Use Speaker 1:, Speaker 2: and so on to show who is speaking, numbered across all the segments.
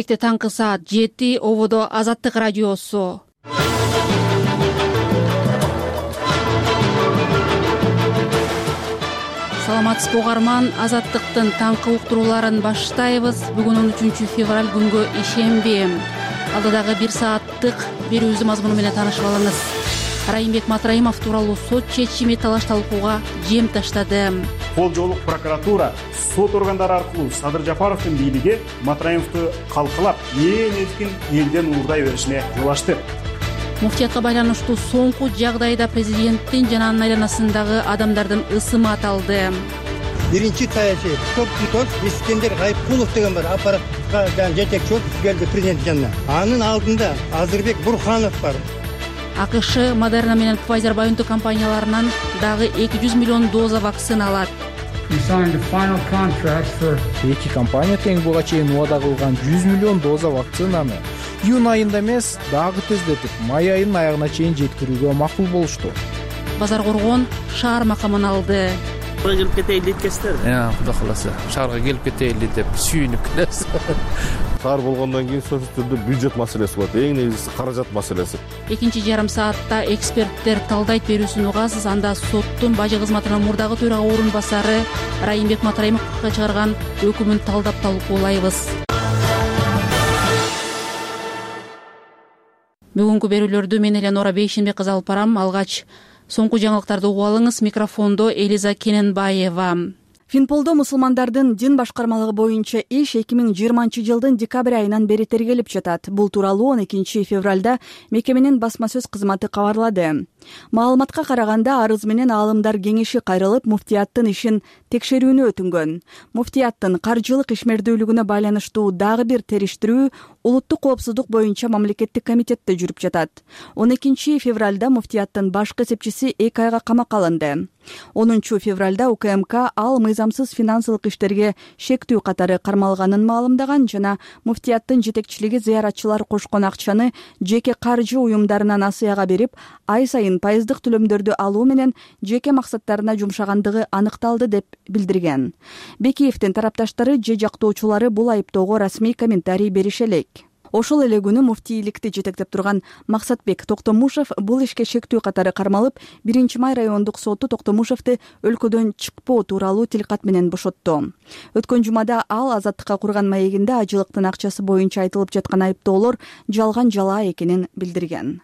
Speaker 1: Таңкы саат 7 Ободо Азаттык радиосу. Саламатсызбы угарман, Азаттыктын таңкы уктурууларын баштайбыз. Бүгүн 13 февраль күнгө ишемби. Алдыдагы 1 сааттык берүүбүздүн мазмуну менен таанышып алыңыз. Райымбек Матраимов тууралуу сот чечими талаш талкууга жем таштады.
Speaker 2: Кол жоолук прокуратура сот органдары аркылуу Садыр Жапаровдун бийлиги Матраимовду калкалап, эркин элден уурдай беришине жол ачты.
Speaker 1: Муфтиятка байланыштуу соңку жагдайда президенттин жана анын айланасындагы адамдардын ысымы аталды.
Speaker 3: Биринчи саясий топ-тутос Искендер Гайыпкулов деген бар, аппаратка жетекчи болуп келди президент жанына. Анын алдында Азырбек Бурханов бар.
Speaker 1: АКШ Модерна менен Pfizer-BioNTech компанияларынан дагы 200 миллион доза вакцина алат.
Speaker 4: Эки компания тең буга чейин убада кылган 100 миллион доза вакцинаны июнь айында эмес, дагы тездетип, май айынын аягына чейин жеткирүүгө макул болушту.
Speaker 1: Базар Коргон шаар макамын алды.
Speaker 5: Келип кетейли дейткесиздер.
Speaker 6: Кудай кааласа, шаарга келип кетейли деп сүйүнүп келебиз.
Speaker 7: Шаар болгондон кийин сөзсүз түрдө бюджет маселеси болот, эң негизгиси каражат маселеси.
Speaker 1: Экинчи жарым саатта эксперттер талдайт берүүсүн угасыз. Анда соттун бажы кызматынын мурдагы төрага орун басары Райымбек Матраимовго чыгарган өкүмүн талдап талкуулайбыз. Бүгүнкү берүүлөрдү мен Эленора Бейшенбек кызы алып барам. Алгач соңку жаңылыктарды угуп алыңыз. Микрофондо Элиза Кененбаева.
Speaker 8: Финполдо мусулмандардын дин башкармалыгы боюнча иш 2020 жылдын декабрь айынан бери тергелип жатат. Бул тууралуу 12 февралда мекеменин басма сөз кызматы кабарлады. Маалыматка караганда арыз менен аалымдар кеңеши кайрылып, муфтияттын ишин текшерүүнү өтүнгөн. Муфтияттын каржылык ишмердүүлүгүнө байланыштуу дагы бир териштирүү улуттук коопсуздук боюнча мамлекеттик комитетте жүрүп жатат. 12 февралда муфтияттын башкы эсепчиси 2 айга камакка алынды. 10 февралда УКМК ал мыйзамсыз финансылык иштерге шектүү катары кармалганын маалымдаган жана муфтияттын жетекчилиги зыяратчылар кошкон акчаны жеке каржы уюмдарынан асыяга берип, ай сайын пайыздык төлөмдөрдү алуу менен жеке максаттарына жумшагандыгы аныкталды деп билдирген. Бекиевдин тарапташтары же жактоочулары бул айыптоого расмий комментарий берише элек. Ошол эле күнү муфтийликти жетектеп турган Максатбек Токтомушев бул ишке шектүү катары кармалып, 1-май райондук соту Токтомушевду өлкөдөн чыкпоо тууралуу тилкат менен бошотту. Өткөн жумада ал Азаттыкка курган маегинде ажылыктын акчасы боюнча айтылып жаткан айыптоолор жалган жалаа экенин билдирген.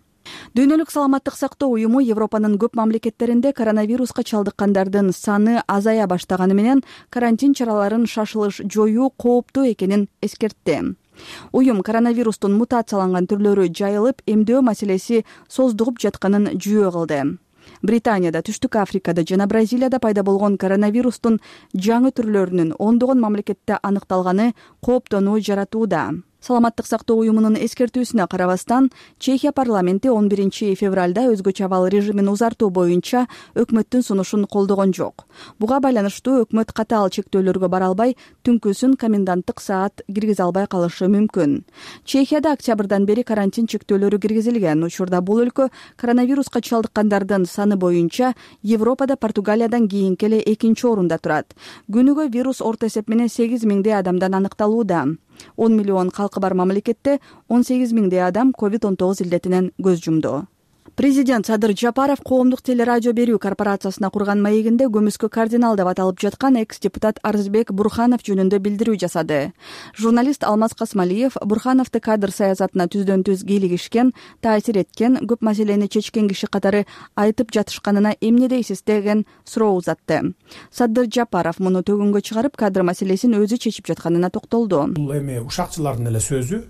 Speaker 8: Дүйнөлүк саламаттык сактоо уюму Европанын көп мамлекеттеринде коронавируска чалдыккандардын саны азая баштаганы менен карантин чараларын шашылыш жоюу кооптуу экенин эскертти. Уюм коронавирустун мутацияланган түрлөрү жайылып, эмдөө маселеси создугуп жатканын жүйө кылды. Британияда, Түштүк Африкада жана Бразилияда пайда болгон коронавирустун жаңы түрлөрүнүн ондогон мамлекетте аныкталганы кооптонуу жаратууда. Саламаттык сактоо уюмунун эскертүүсүнө карабастан, Чехия парламенти 11 февралда өзгөчө абал режимин узартуу боюнча өкмөттүн сунушун колдогон жок. Буга байланыштуу өкмөт катаал чектөөлөргө бара албай, түнкүсүн коменданттык саат киргизе албай калышы мүмкүн. Чехияда октябрдан бери карантин чектөөлөрү киргизилген. Учурда бул өлкө коронавируска чалдыккандардын саны боюнча Европада Португалиядан кийинки эле 2-орунда турат. Күнүгө вирус орто эсеп менен 8 миңдей адамдан аныкталууда. 10 миллион калкы бар мамлекетте 18 миңдей адам COVID-19 илдетинен көз жумду. Президент Садыр Жапаров коомдук телерадио берүү корпорациясына курган маегинде көмүскө кардинал деп аталып жаткан экс-депутат Арзбек Бурханов жөнүндө билдирүү жасады. Журналист Алмаз Касмалиев Бурхановду кадр саясатына түздөн-түз кийлигишкен, таасир эткен, көп маселени чечкен киши катары айтып жатышканына эмне дейсиз деген суроо узатты. Садыр Жапаров муну төгүнгө чыгарып, кадр маселесин өзү чечип жатканына токтолду.
Speaker 9: Бул эми ушакчылардын эле сөзү.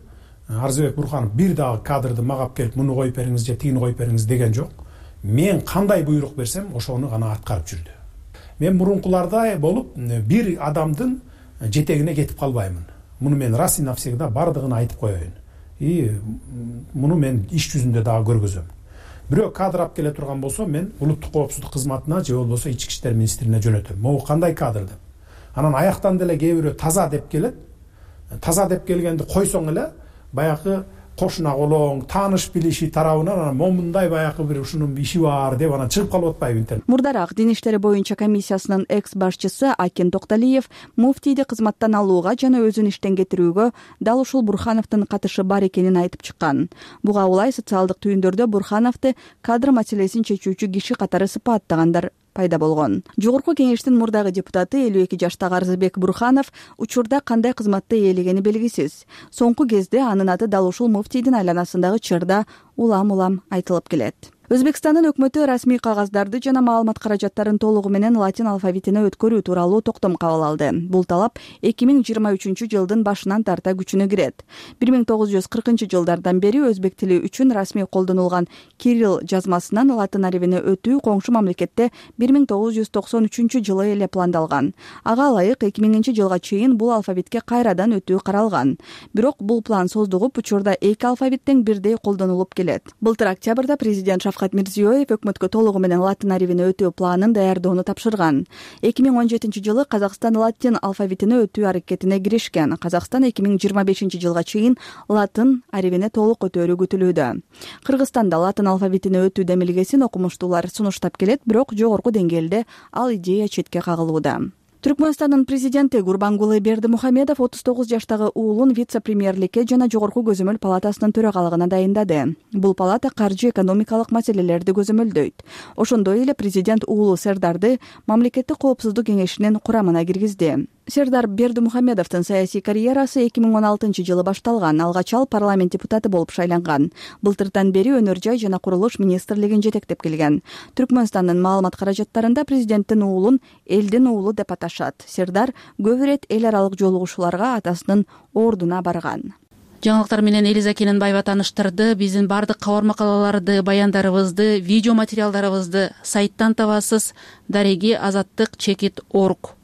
Speaker 9: Арзбек Бурханов бир дагы кадрды магап келип, муну коюп бериңиз же тигини коюп бериңиз деген жок. Мен кандай буйрук берсем, ошону гана аткарып жүрдү. Мен мурункулардай болуп, бир адамдын жетегине кетип калбаймын. Муну мен раз и навсегда бардыгын айтып коеюн. Муну мен иш жүзүндө дагы көргөзөм. Бирөө кадр алып келе турган болсо, мен улуттук коопсуздук кызматына же болбосо ички иштер министрине жөнөтөм. Могу кандай кадр деп. Анан аяктан деле кээ бирөө таза деп келет. Таза деп келгенди койсоң эле баягы кошуна колоң, тааныш билиши тарабынан анан момундай баягы бир ушунун иши бар деп анан чыгып калып атпайбы интернет.
Speaker 8: Мурдараак дин иштери боюнча комиссиясынын экс башчысы Акен Токталиев муфтийди кызматтан алууга жана өзүн иштен кетирүүгө дал ушул Бурхановдун катышы бар экенин айтып чыккан. Буга улай социалдык түйүндөрдө Бурхановду кадр маселесин чечүүчү киши катары сыпаттагандар пайда болгон. Жогорку кеңештин мурдагы депутаты 52 жаштагы Арзыбек Бурханов учурда кандай кызматты ээлегени белгисиз. Соңку кезде анын аты дал ушул муфтийдин айланасындагы чырда улам айтылып келет. Өзбекстандын өкмөтү расмий кагаздарды жана маалымат каражаттарын толугу менен латин алфавитине өткөрүү тууралуу токтом кабыл алды. Бул талап 2023 жылдын башынан тарта күчүнө кирет. 1940 жылдардан бери өзбек тили үчүн расмий колдонулган кирилл жазмасынан латын арифине өтүү коңшу мамлекетте 1993 жылы эле пландалган. Ага ылайык 2000 жылга чейин бул алфавитке кайрадан өтүү каралган. Бирок бул план создугуп, учурда эки алфавиттен бирдей колдонулуп келет. Былтыр октябрда президент Шавкат Мирзиёев өкмөткө толугу менен латын арифине өтүү планын даярдоону тапшырган. 2017 жылы Казакстан латин алфавитине өтүү аракетине киришкен. Казакстан 2025 жылга чейин латын арифине толук өтөөрү күтүлүүдө. Кыргызстанда латын алфавитине өтүү демилгесин окумуштуулар сунуштап келет, бирок жогорку деңгээлде ал идея четке кагылууда. Түркмөнстандын президенти Гурбангулы Бердимухамедов 39 жаштагы уулун вице-премьерликке жана жогорку көзөмөл палатасынын төрагалыгына дайындады. Бул палата каржы экономикалык маселелерди көзөмөлдөйт. Ошондой эле президент уулу Сердарды мамлекеттик коопсуздук кеңешинин курамына киргизди. Сердар Бердимухамедовдун саясий карьерасы 2016 жылы башталган. Алгач ал парламент депутаты болуп шайланган. Былтырдан бери өнөр жай жана курулуш министрлигин жетектеп келген. Түркмөнстандын маалымат каражаттарында президенттин уулун элдин уулу деп аташат. Сердар көп ирет эл аралык жолугушууларга атасынын ордуна барган.
Speaker 1: Жаңылыктар менен Элиза Кененбаева тааныштырды. Биздин бардык кабар макалаларды, баяндарыбызды, видео материалдарыбызды сайттан табасыз. Дареги azattik.org.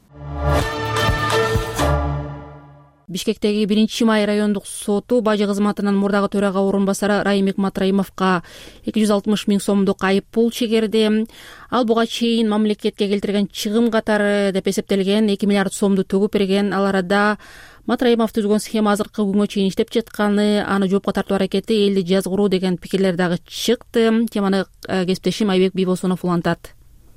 Speaker 1: Бишкектеги 1-май райондук соту бажы кызматынын мурдагы төрага орун басары Райымбек Матраимовго 260 000 сомдук айып пул чегерди. Ал буга чейин мамлекетке келтирген чыгым катары деп эсептелген 2 миллиард сомду төгүп берген. Ал арада Матраимов түзгөн схема азыркы күнгө чейин иштеп жатканы, аны жоопко тартуу аракети элди жазгыруу деген пикирлер дагы чыкты. Теманы кесиптешим Айбек Бибосунов улантат.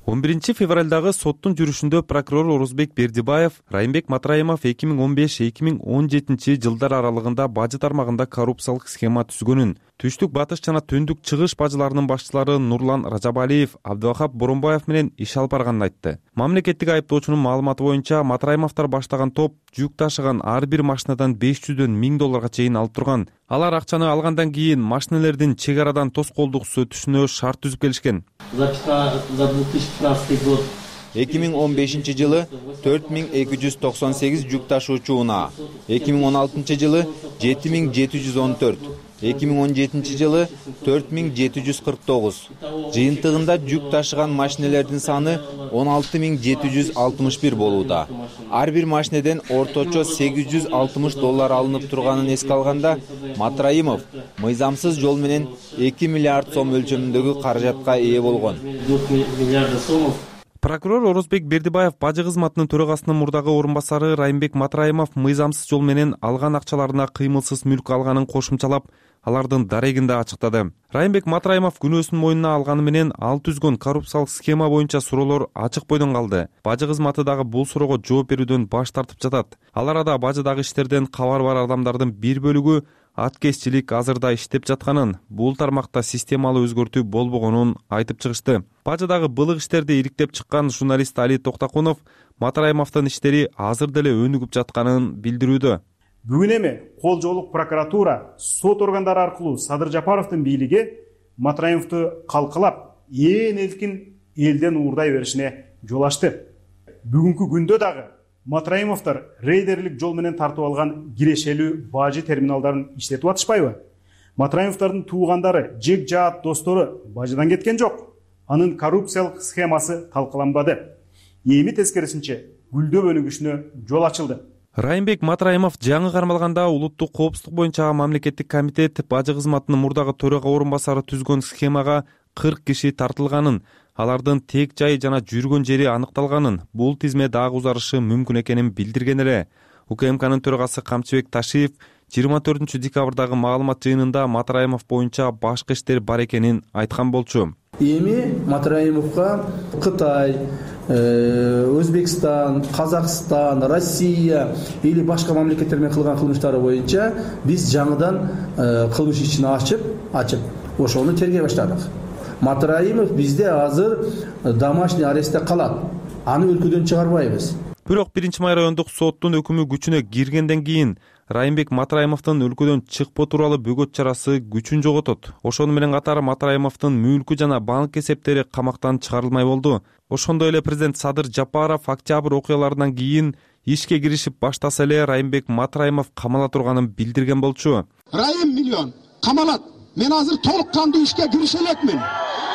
Speaker 10: 11 февралдагы соттун жүрүшүндө прокурор Орозбек Бердибаев Райымбек Матраимов 2015-2017 жылдар аралыгында бажы тармагында коррупциялык схема түзгөнүн, түштүк батыш жана түндүк чыгыш бажыларынын башчылары Нурлан Ражабалиев, Абдывахап Боронбаев менен иш алып барганын айтты. Мамлекеттик айыптоочунун маалыматы боюнча Матраимовдор баштаган топ жүк ташыган ар бир машинадан 500дөн 1000 долларга чейин алып турган. Алар акчаны алгандан кийин машинелердин чек арадан тоскоолдуксуз өтүшүнө шарт түзүп келишкен.
Speaker 11: За 2015 год 2015 жылы 4298 жүк ташуучу унаа, 2016 жылы 7714, 2017 жылы 4749. Жыйынтыгында жүк ташыган машинелердин саны 16761 болууда. Ар бир машинеден орточо 860 доллар алынып турганын эске алганда, Матраимов мыйзамсыз жол менен 2 миллиард сом өлчөмүндөгү каражатка ээ болгон.
Speaker 10: Прокурор Орозбек Бердибаев бажы кызматынын төрагасынын мурдагы орун басары Райымбек Матраимов мыйзамсыз жол менен алган акчаларына кыймылсыз мүлк алганын кошумчалап, алардын дарегин да ачыктады. Райымбек Матраимов күнөөсүн мойнуна алганы менен ал түзгөн коррупциялык схема боюнча суроолор ачык бойдон калды. Бажы кызматы дагы бул суроого жооп берүүдөн баш тартып жатат. Ал арада бажыдагы иштерден кабар бар адамдардын бир бөлүгү аткезчилик азырда иштеп жатканын, бул тармакта системалуу өзгөртүү болбогонун айтып чыгышты. Бажыдагы былык иштерди ириктеп чыккан журналист Али Токтакунов Матраимовдун иштери азыр деле өнүгүп жатканын билдирүүдө.
Speaker 2: Бүгүн эми кол жоолук прокуратура сот органдары аркылуу Садыр Жапаровдун бийлиги Матраимовду калкалап, ээн элкин элден уурдай беришине жол ачты. Бүгүнкү күндө дагы Матраимовдор рейдерлик жол менен тартып алган кирешелүү бажы терминалдарын иштетип атышпайбы? Матраимовдордун туугандары, жек жаат достору бажыдан кеткен жок. Анын коррупциялык схемасы талкаланбады. Эми тескерисинче гүлдөп өнүгүшүнө жол ачылды.
Speaker 10: Райымбек Матраимов жаңы кармалганда улуттук коопсуздук боюнча мамлекеттик комитет бажы кызматынын мурдагы төрага орун басары түзгөн схемага 40 киши тартылганын, алардын тек жайы жана жүргөн жери аныкталганын, бул тизме дагы узарышы мүмкүн экенин билдирген эле. УКМКнын төрагасы Камчыбек Ташиев 24 декабрдагы маалымат жыйынында Матраимов боюнча башкы иштер бар экенин айткан болчу.
Speaker 12: Эми Матраимовго Кытай, Өзбекстан, Казакстан, Россия или башка мамлекеттер менен кылган кылмыштары боюнча биз жаңыдан кылмыш ишин ачып ошону тергей баштадык. Матраимов бизде азыр домашний арестте калат. Аны өлкөдөн чыгарбайбыз.
Speaker 10: Бирок 1 май райондук соттун өкүмү күчүнө киргенден кийин Райымбек Матраимовдун өлкөдөн чыкпоо тууралуу бөгөт чарасы күчүн жоготот. Ошону менен катар Матраимовдун мүлкү жана банк эсептери камактан чыгарылмай болду. Ошондой эле президент Садыр Жапаров октябрь окуяларынан кийин ишке киришип баштаса эле Райымбек Матраимов камала турганын билдирген болчу.
Speaker 13: Райым миллион камалат. Мен азыр толук кандуу ишке кирише элекмин.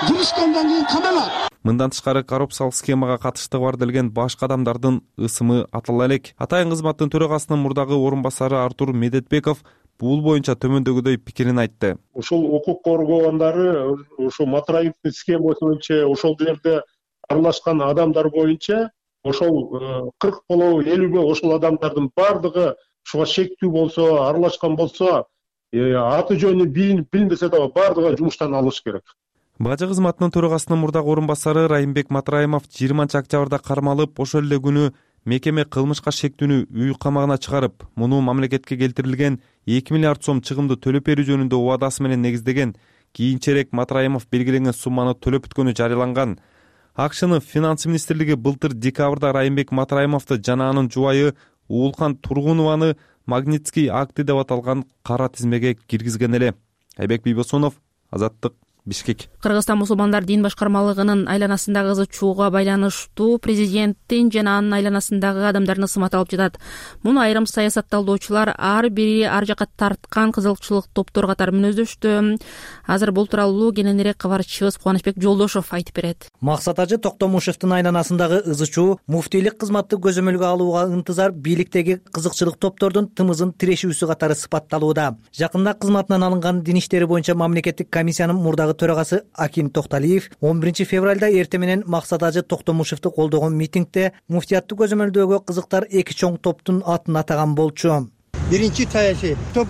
Speaker 13: Киришкенден кийин камалат.
Speaker 10: Мындан тышкары коррупциялык схемага катыштыгы бар делген башка адамдардын ысымы атала элек. Атайын кызматтын төрагасынын мурдагы орун басары Артур Медетбеков бул боюнча төмөндөгүдөй пикирин айтты.
Speaker 14: Ошол укук коргоогондары ошо Матраимовдун схемасы боюнча ошол жерде аралашкан адамдар боюнча ошол 40 болобу 50 ошол адамдардын бардыгы ушуга шектүү болсо, аралашкан болсо, аты жөнү билинбесе дагы бардыгы жумуштан алыш керек.
Speaker 10: Бажы кызматынын төрагасынын мурдагы орун басары Райымбек Матраимов 20 октябрда кармалып, ошол эле күнү мекеме кылмышка шектүүнү үй камагына чыгарып, муну мамлекетке келтирилген 2 миллиард сом чыгымды төлөп берүү жөнүндө убадасы менен негиздеген. Кийинчерээк Матраимов белгиленген сумманы төлөп бүткөнү жарыяланган. АКШнын финанс министрлиги былтыр декабрда Райымбек Матраимовду жана анын жубайы Уулхан Тургунованы Магнитский акты деп аталган кара тизмеге киргизген эле. Айбек Бийбосунов, Азаттык, Бишкек.
Speaker 1: Кыргызстан мусулмандар дин башкармалыгынын айланасындагы кызык чууга байланыштуу президенттин жана анын айланасындагы адамдардын ысымы аталып жатат. Муну айрым саясатталуучулар ар бири ар жака тарткан кызыкчылык топтор катары мүнөздөштү. Азыр бул тууралуу кененирээк кабарчыбыз Кубанычбек Жолдошов айтып берет.
Speaker 15: Максат Ажы Токтомушевдун айланасындагы ызы чуу муфтийлик кызматты көзөмөлгө алууга ынтызар бийликтеги кызыкчылык топтордун тымызын тирешүүсү катары сыпатталууда. Жакында кызматынан алынган дин иштери боюнча мамлекеттик комиссиянын мурдагы төрагасы Акин Токталиев 11 февралда эртең менен Максат Ажы Токтомушевду колдогон митингде муфтиятты көзөмөлдөөгө кызыктар эки чоң топтун атын атаган болчу.
Speaker 3: Биринчи саясий топ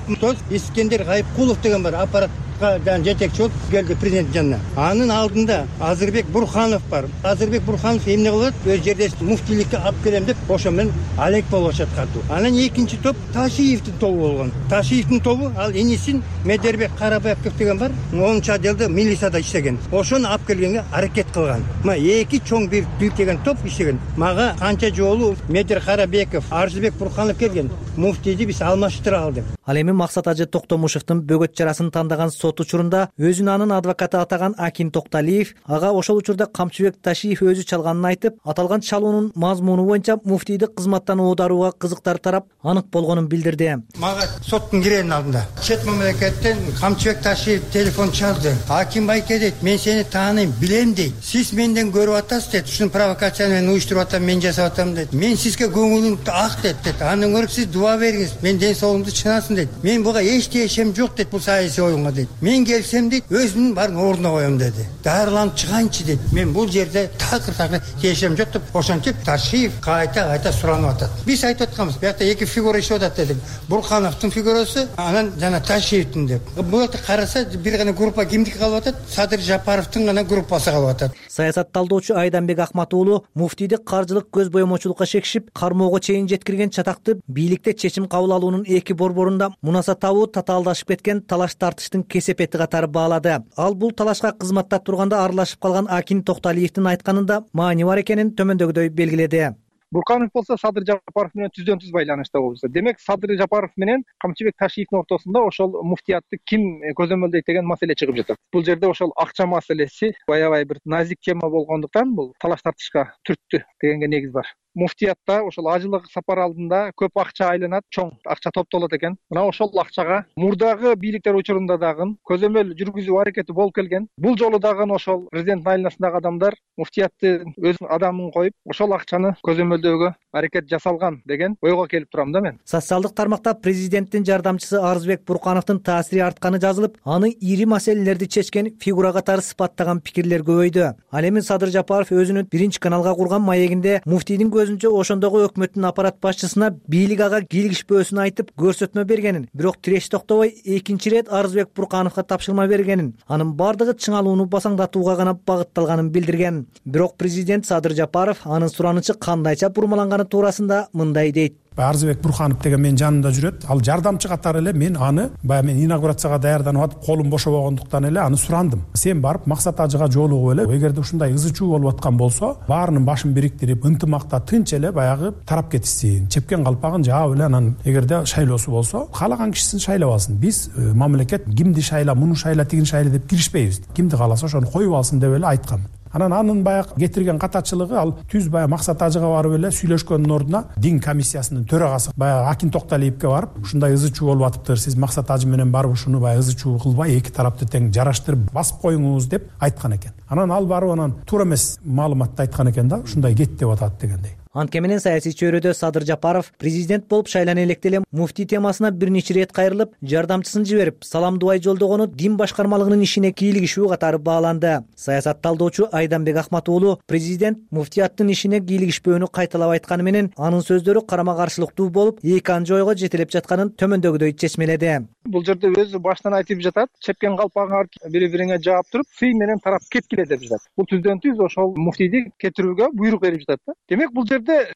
Speaker 3: Искендер Гайыпкулов деген бар, аппаратка жетекчи болуп келди президент жанына. Анын алдында Азырбек Бурханов бар. Азырбек Бурханов эмне кылат? Өз жерде муфтийликке алып келем деп ошо менен алек болуп жаткатуу. Анан экинчи топ Ташиевдин тобу болгон. Ташиевдин тобу ал инисин Медербек Карабаевков деген бар. 10-чы отделде милицияда иштеген. Ошону алып келгенге аракет кылган. Эки чоң бир билтеген топ иштеген. Мага канча жолу Медер Карабеков, Арзыбек Бурханов келген. Муфтийди биз алмаштыра алдык.
Speaker 15: Ал эми Максат Ажы Токтомушевдун бөгөт чарасын тандаган сот учурунда өзүн анын адвокаты атаган Акин Токталиев ага ошол учурда Камчыбек Ташиев өзү чалганын айтып, аталган чалуунун мазмуну боюнча муфтийди кызматтан оодаруга кызыктар тарап анык болгонун билдирди.
Speaker 3: Мага соттун киренин алдында чет мамлекеттен Камчыбек Ташиев телефон чалды. Аким байке дейт, мен сени тааныйм, билем дейт. Сиз менден көрүп атасыз дейт. Ушуну провокацияны мен уюштуруп атам, мен жасап атам дейт. Мен сизге көңүлүм ак дейт. Андан көрө сиз дуа бериңиз, мен ден соолугумду чынасын дейт. Мен буга эч тиешем жок дейт, бул саясий оюнга дейт. Мен келсем дейт, өзүмдүн баарын ордуна коем деди. Дарыланып чыганчы дейт. Мен бул жерде такыр тиешем жок деп ошентип Ташиев кайта суранып атат. Биз айтып атканбыз, биякта эки фигура иштеп атат дедик. Бурхановдун фигурасы, анан жана Ташиевдин деп. Бул жерде караса бир гана группа кимдики калып атат? Садыр Жапаровдун гана группасы калып атат.
Speaker 15: Саясат талдоочу Айданбек Акмат уулу муфтийди каржылык көз боемочулукка шекишип, кармоого чейин жеткирген чатакты бийликте чечим кабыл алуунун эки борборунда мунаса табуу татаалдашып кеткен талаш тартыштын кесепети катары баалады. Ал бул талашка кызматта турганда аралашып калган Акин Токталиевдин айтканында маани бар экенин төмөндөгүдөй белгиледи.
Speaker 16: Бурканов болсо Садыр Жапаров менен түздөн түз байланышта болсо. Демек Садыр Жапаров менен Камчыбек Ташиевдин ортосунда ошол муфтиятты ким көзөмөлдөйт деген маселе чыгып жатат. Бул жерде ошол акча маселеси аябай бир назик тема болгондуктан бул талаш тартышка түрттү дегенге негиз бар. Муфтиятта ошол ажылык сапар алдында көп акча айланат, чоң акча топтолот экен. Мына ошол акчага мурдагы бийликтер учурунда дагы көзөмөл жүргүзүү аракети болуп келген. Бул жолу дагы ошол президенттин айланасындагы адамдар муфтиятты өз адамын коюп, ошол акчаны көзөмөлдөөгө аракет жасалган деген ойго келип турам да мен.
Speaker 15: Социалдык тармакта президенттин жардамчысы Арзыбек Буркановдун таасири артканы жазылып, аны ири маселелерди чечкен фигура катары сыпаттаган пикирлер көбөйдү. Ал эми Садыр Жапаров өзүнүн биринчи каналга курган маегинде муфтийдин көзүнчө ошондогу өкмөттүн аппарат башчысына бийлик ага кийлигишпөөсүн айтып көрсөтмө бергенин, бирок тиреш токтобой экинчи ирет Арызбек Буркановго тапшырма бергенин, анын бардыгы чыңалууну басаңдатууга гана багытталганын билдирген. Бирок президент Садыр Жапаров анын суранычы кандайча бурмаланганы туурасында мындай дейт.
Speaker 9: Арызбек Бурканов деген менин жанымда жүрөт. Ал жардамчы катары эле мен аны баягы мен инаугурацияга даярданып атып, колум бошобогондуктан эле аны сурандым. Сен барып Максат Ажыга жолугуп эле, эгерде ушундай ызы чуу болуп аткан болсо, баарынын башын бириктирип, ынтымакта тынч эле баягы тарап кетишсин, чепкен калпагын жаап эле анан эгерде шайлоосу болсо, каалаган кишисин шайлап алсын. Биз мамлекет кимди шайла, муну шайла, тигин шайла деп киришпейбиз. Кимди кааласа ошону коюп алсын деп эле айткам. Анын баягы кетирген катачылыгы ал түз баягы Максат Ажыга барып эле сүйлөшкөндүн ордуна дин комиссиясынын төрагасы баягы Акин Токталиевке барып, ушундай ызы чуу болуп атыптыр, сиз Максат Ажы менен барып ушуну баягы ызы чуу кылбай, эки тарапты тең жараштырып басып коюңуз деп айткан экен. Анан ал барып анан туура эмес маалыматты айткан экен да, ушундай кет деп атат дегендей.
Speaker 15: Анткени менен саясий чөйрөдө Садыр Жапаров президент болуп шайлана электе эле муфтий темасына бир нече ирет кайрылып, жардамчысын жиберип, салам дубай жолдогону дин башкармалыгынын ишине кийлигишүү катары бааланды. Саясат талдоочу Айданбек Ахмат уулу президент муфтияттын ишине кийлигишпөөнү кайталап айтканы менен анын сөздөрү карама каршылыктуу болуп, эки анча ойго жетелеп жатканын төмөндөгүдөй чечмеледи.
Speaker 16: Бул жерде өзү баштан айтып жатат, чепкен калпагыңар бири-бириңе жаап туруп, сый менен тарап кеткиле деп жатат. Бул түздөн түз ошол муфтийди кетирүүгө буйрук берип жатат да. Демек бул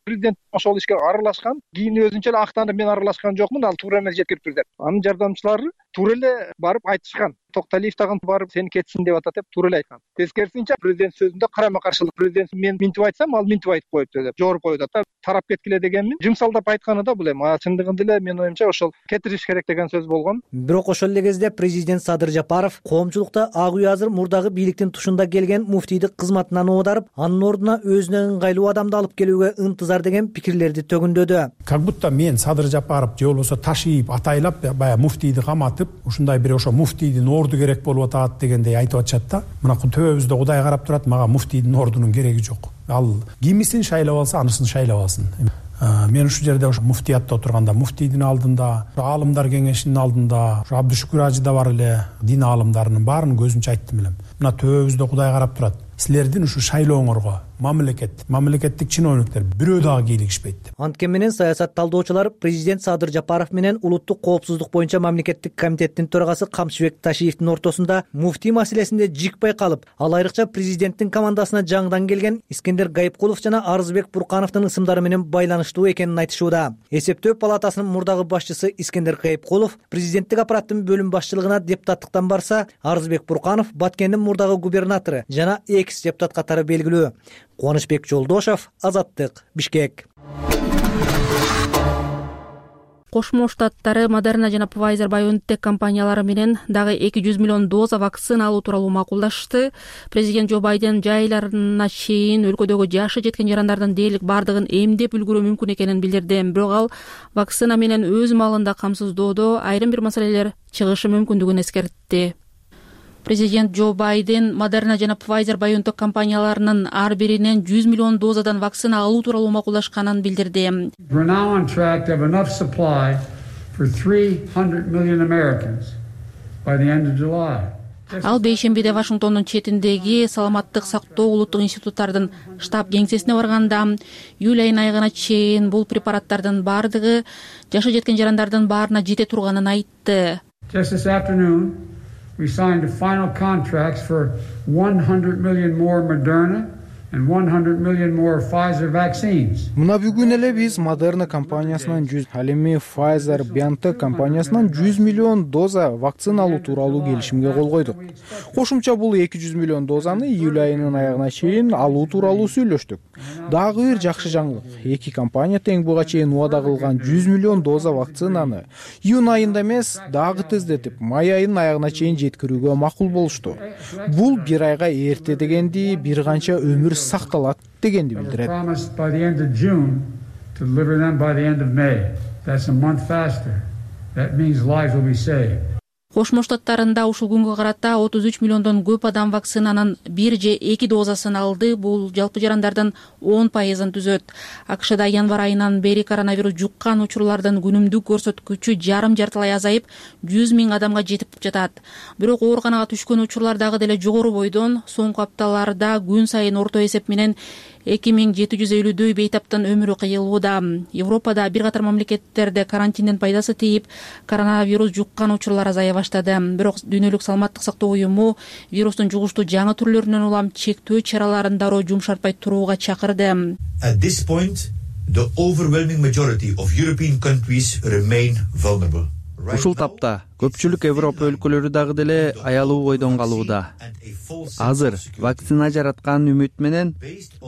Speaker 16: президент ошол ишке аралашкан, кийин өзүнчө эле актанып мен аралашкан жокмун, ал туура эмес жеткириптир деп. Анын жардамчылары туура эле барып айтышкан. Токталиев тагын барып сени кетсин деп атат деп туура эле айткан. Тескерисинче президент сөзүндө карама каршылык. Президент мен минтип айтсам, ал минтип айтып коюпту деп жогоруп коюп атат. Тарап кеткиле дегенмин. Жумсалдап айтканы да бул эми. Чындыгында эле менин оюмча ошол кетириш керек деген сөз болгон.
Speaker 15: Бирок ошол эле кезде президент Садыр Жапаров коомчулукта ак үй азыр мурдагы бийликтин тушунда келген муфтийди кызматынан оодарып, анын ордуна өзүнө ыңгайлуу адамды алып келүүгө ынтызар деген пикирлерди төгүндөдү.
Speaker 9: Как будто мен Садыр Жапаров же болбосо ташыйып, атайлап баягы муфтийди каматып, ушундай бир ошо муфтийдин орду керек болуп атат дегендей айтып атышат да. Мына төбөбүздө Кудай карап турат, мага муфтийдин ордунун кереги жок. Ал кимисин шайлап алса, анысын шайлап алсын. Мен ушул жерде ошо муфтиятта отурганда муфтийдин алдында, аалымдар кеңешинин алдында, ошо Абдушукур Ажы да бар эле, дин аалымдарынын баарынын көзүнчө айттым элем. Мына төбөбүздө Кудай карап турат. Силердин ушу шайлооңорго мамлекеттик чиновниктер бирөө дагы кийлигишпейт деп.
Speaker 15: Анткени менен саясат талдоочулар президент Садыр Жапаров менен улуттук коопсуздук боюнча мамлекеттик комитеттин төрагасы Камчыбек Ташиевдин ортосунда муфтий маселесинде жикпей калып, ал айрыкча президенттин командасына жаңыдан келген Искендер Гайыпкулов жана Арызбек Буркановдун ысымдары менен байланыштуу экенин айтышууда. Эсептөө палатасынын мурдагы башчысы Искендер Гайыпкулов президенттик аппараттын бөлүм башчылыгына депутаттыктан барса, Арызбек Бурканов Баткендин мурдагы губернатору жана экс-депутат катары белгилүү. Кубанычбек Жолдошов, Азаттык, Бишкек.
Speaker 1: Кошмо Штаттары Модерна жана Pfizer-BioNTech компаниялары менен дагы 200 миллион доза вакцина алуу тууралуу макулдашты. Президент Джо Байден жай айларына чейин өлкөдөгү жашы жеткен жарандардын дээрлик бардыгын эмдеп үлгүрүү мүмкүн экенин билдирди. Бирок ал вакцина менен өз маалында камсыздоодо айрым бир маселелер чыгышы мүмкүндүгүн эскертти. Президент Джо Байден Модерна жана Pfizer-BioNTech компанияларынын ар биринен 100 миллион дозадан вакцина алуу тууралуу макулдашканын билдирди. Ал бейшембиде Вашингтондун четиндеги саламаттык сактоо улуттук институттардын штаб кеңсесине барганда июль айынын айыгына чейин бул препараттардын бардыгы жашы жеткен жарандардын баарына жете турганын айтты.
Speaker 17: We signed a final contracts for 100 million more Moderna and 100 million more Pfizer vaccines.
Speaker 4: Мына бүгүн эле биз Moderna компаниясынан 100, ал эми Pfizer-BioNTech компаниясынан 100 миллион доза вакцина алуу тууралуу келишимге кол койдук. Кошумча бул 200 миллион дозаны июль айынын аягына чейин алуу тууралуу сүйлөштүк. Дагы бир жакшы жаңылык. Эки компания тең буга чейин убада кылган 100 миллион доза вакцинаны июнь айында эмес, дагы тездетип, май айынын аягына чейин жеткирүүгө макул болушту. Бул бир айга эрте дегенди, бир канча өмүр сакталат дегенди билдирет.
Speaker 1: Кошмо Штаттарында ушул күнгө карата 33 миллиондон көп адам вакцинанын 1 же 2 дозасын алды. Бул жалпы жарандардын 10%-ын түзөт. АКШда январь айынан бери коронавирус жуккан учурлардын күнүмдүк көрсөткүчү жарым-жартылай азайып, 100 миң адамга жетип жатат. Бирок ооруканага түшкөн учурлар дагы деле жогору бойдон. Соңку апталарда күн сайын орто эсеп менен 2750дөй бейтаптын өмүрү кыйылууда. Европада бир катар мамлекеттерде карантинден пайдасы тийип, коронавирус жуккан учурлар азая баштады. Бирок Дүйнөлүк саламаттык сактоо уюму вирустун жугуштуу жаңы түрлөрүнөн улам чектөө чараларын дароо жумшартпай турууга чакырды.
Speaker 18: At this point, the overwhelming majority of European countries remain vulnerable.
Speaker 19: Ушул тапта көпчүлүк Европа өлкөлөрү дагы деле аялуу бойдон калууда. Азыр вакцина жараткан үмүт менен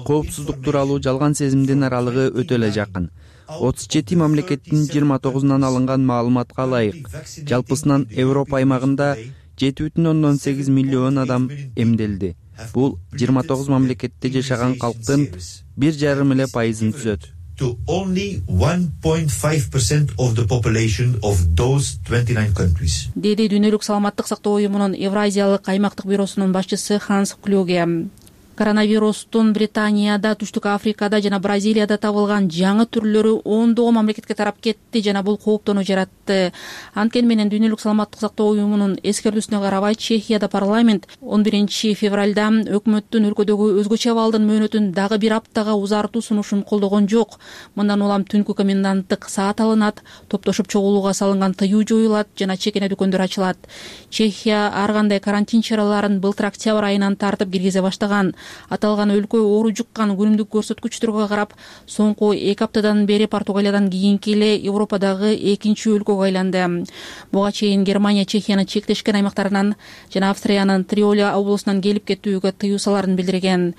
Speaker 19: коопсуздук тууралуу жалган сезимдин аралыгы өтө эле жакын. 37 мамлекеттин 29-нан алынган маалыматка ылайык, жалпысынан Европа аймагында 7,8 миллион адам эмделди. Бул 29 мамлекетте жашаган калктын 1,5% түзөт.
Speaker 18: To only 1.5% of the population of those 29 countries.
Speaker 1: Деди Дүйнөлүк саламаттык сактоо уюмунун Евразиялык аймактык бюросунун башчысы Ханс Клюге. Коронавирустун Британияда, Түштүк Африкада жана Бразилияда табылган жаңы түрлөрү ондогон мамлекетке тарап кетти жана бул кооптонуу жаратты. Анткени менен Дүйнөлүк саламаттык сактоо уюмунун эскертүүсүнө карабай Чехияда парламент 11 февралда өкмөттүн өлкөдөгү өзгөчө абалдын мөөнөтүн дагы бир аптага узартуу сунушун колдогон жок. Мындан улам түнкү коменданттык саат алынат, топтошуп чогулууга салынган тыюу жоюлат жана чекене дүкөндөр ачылат. Чехия ар кандай карантин чараларын былтыр октябрь айынан тартып киргизе баштаган. Аталган өлкө оору жуккан күнүмдүк көрсөткүчтөргө карап, соңку 2 аптадан бери Португалиядан кийинки эле Европадагы экинчи өлкөгө айланды. Буга чейин Германия Чехиянын чектешкен аймактарынан жана Австриянын Триоля облусунан келип кетүүгө тыюу саларын билдирген.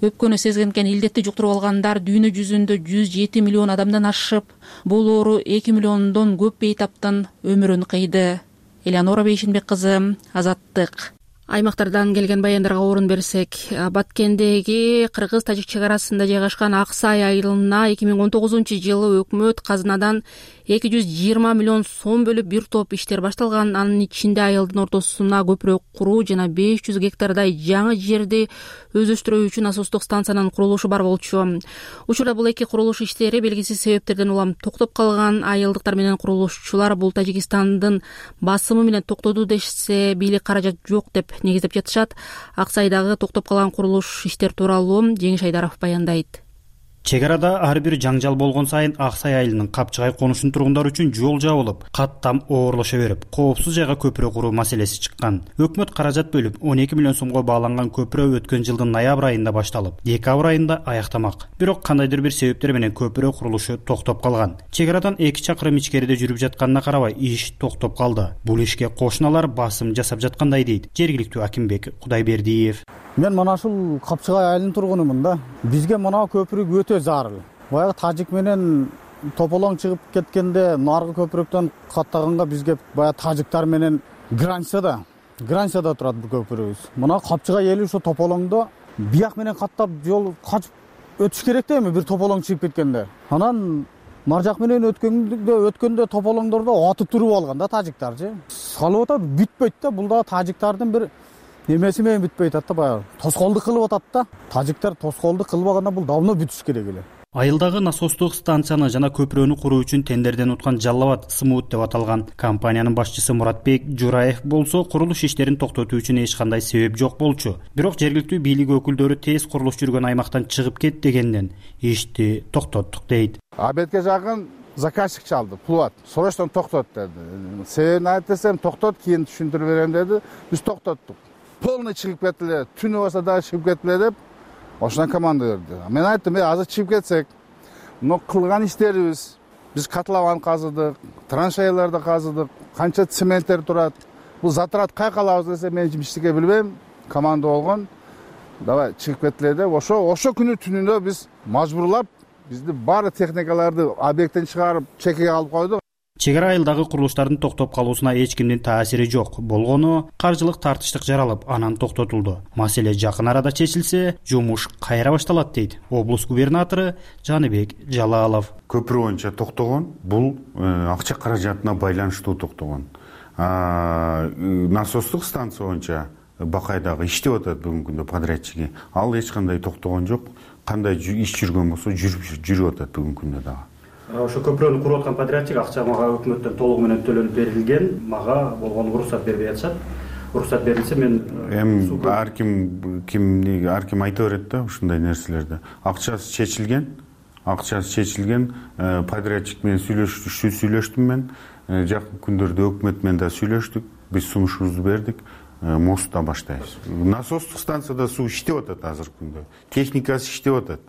Speaker 1: Өпкөнү сезгенкен илдетти жуктуруп алгандар дүйнө жүзүндө 107 миллион адамдан ашып, бул оору 2 миллиондон көп бейтаптын өмүрүн кыйды. Элеонора Бейшинбек кызы, Азаттык. Аймактардан келген баяндарга орун берсек, Баткендеги кыргыз-тажик чек арасында жайгашкан Аксай айылына 2019-жылы өкмөт казынадан 220 миллион сом бөлүп бир топ иштер башталган. Анын ичинде айылдын ортосуна көпүрө куруу жана 500 гектардай жаңы жерди өздөштүрүү үчүн насостук станциянын курулушу бар болчу. Учурда бул эки курулуш иштери белгисиз себептерден улам токтоп калган. Айылдыктар менен курулушчулар бул Тажикстандын басымы менен токтоду дешсе, бийлик каражат жок деп негиздеп жатышат. Аксайдагы токтоп калган курулуш иштер тууралуу Жеңиш Айдаров баяндайт.
Speaker 20: Чек арада ар бир жаңжал болгон сайын Аксай айылынын капчыгай конушун тургундар үчүн жол жабылып, каттам оорлоша берип, коопсуз жайга көпүрө куруу маселеси чыккан. Өкмөт каражат бөлүп 12 миллион сомго бааланган көпүрө өткөн жылдын ноябрь айында башталып, декабрь айында аяктамак. Бирок кандайдыр бир себептер менен көпүрө курулушу токтоп калган. Чек арадан 2 чакырым ичкериде жүрүп жатканына карабай, иш токтоп калды. Бул ишке кошуналар басым жасап жаткандай дейт жергиликтүү Акимбек Кудайбердиев.
Speaker 21: Мен мына ушул Капчыгай айылынын тургунумун да. Бизге мына көпүрөк өтө зарыл. Баягы тажик менен тополоң чыгып кеткенде наркы көпүрөктөн каттаганга бизге баягы тажиктар менен границада турат бул көпүрөбүз. Мына Капчыгай эли ошо тополоңдо бияк менен каттап жол качып өтүш керек да эми бир тополоң чыгып кеткенде. Анан нар жак менен өткөндө тополоңдордо атып туруп алган да тажиктарчы. Салып атат, бүтпөйт да. Бул да тажиктардын бир немеси менен бүтпөй атат да, баягы тоскоолдук кылып атат да. Тажиктар тоскоолдук кылбаганда бул давно бүтүш керек эле.
Speaker 20: Айылдагы насостук станцияны жана көпүрөнү куруу үчүн тендерден уткан Жаллабад Смут деп аталган компаниянын башчысы Муратбек Жураев болсо, курулуш иштерин токтотуу үчүн эч кандай себеп жок болчу. Бирок жергиликтүү бийлик өкүлдөрү тез курулуш жүргөн аймактан чыгып кет дегенден ишти токтоттук дейт.
Speaker 22: Обедке жакын заказчик чалды, пулат. Срочно токтот деди. Себебин айт десем, токтот, кийин түшүндүрүп берем деди. Биз токтоттук. Полный чыгып кетиле, түнү болсо дагы чыгып кетиле деп ошондон команда берди. Мен айттым, азыр чыгып кетсек, мына кылган иштерибиз, биз котлован казыдык, траншеяларды казыдык, канча цементтер турат. Бул затрат кайка алабыз десе, мен эчтеке билбейм. Команда болгон. Давай чыгып кетиле деп, ошо күнү түнүндө биз мажбурлап, бизди баары техникаларды объекттен чыгарып, чекеге алып койдук.
Speaker 20: Чек ара айылдагы курулуштардын токтоп калуусуна эч кимдин таасири жок. Болгону каржылык тартыштык жаралып, анан токтотулду. Маселе жакын арада чечилсе, жумуш кайра башталат дейт облус губернатору Жаныбек Жалалов.
Speaker 23: Көпүрө боюнча токтогон, бул акча каражатына байланыштуу токтогон. Насостук станция боюнча Бакайдагы иштеп атат бүгүнкү күндө подрядчиги. Ал эч кандай токтогон жок. Кандай иш жүргөн болсо жүрүп атат бүгүнкү күндө дагы.
Speaker 20: Ошо көпүрөнү куруп аткан подрядчик акча мага өкмөттөн толугу менен төлөнүп берилген, мага болгону уруксат бербей атышат. уруксат берилсе мен
Speaker 23: эми ар ким айта берет да ушундай нерселерди. Акчасы чечилген, подрядчик менен сүйлөштүм мен. Жакын күндөрдө өкмөт менен да сүйлөштүк. Биз сунушубузду бердик. Мостта баштайбыз. Насостук станцияда суу иштеп атат азыркы күндө. Техникасы иштеп атат.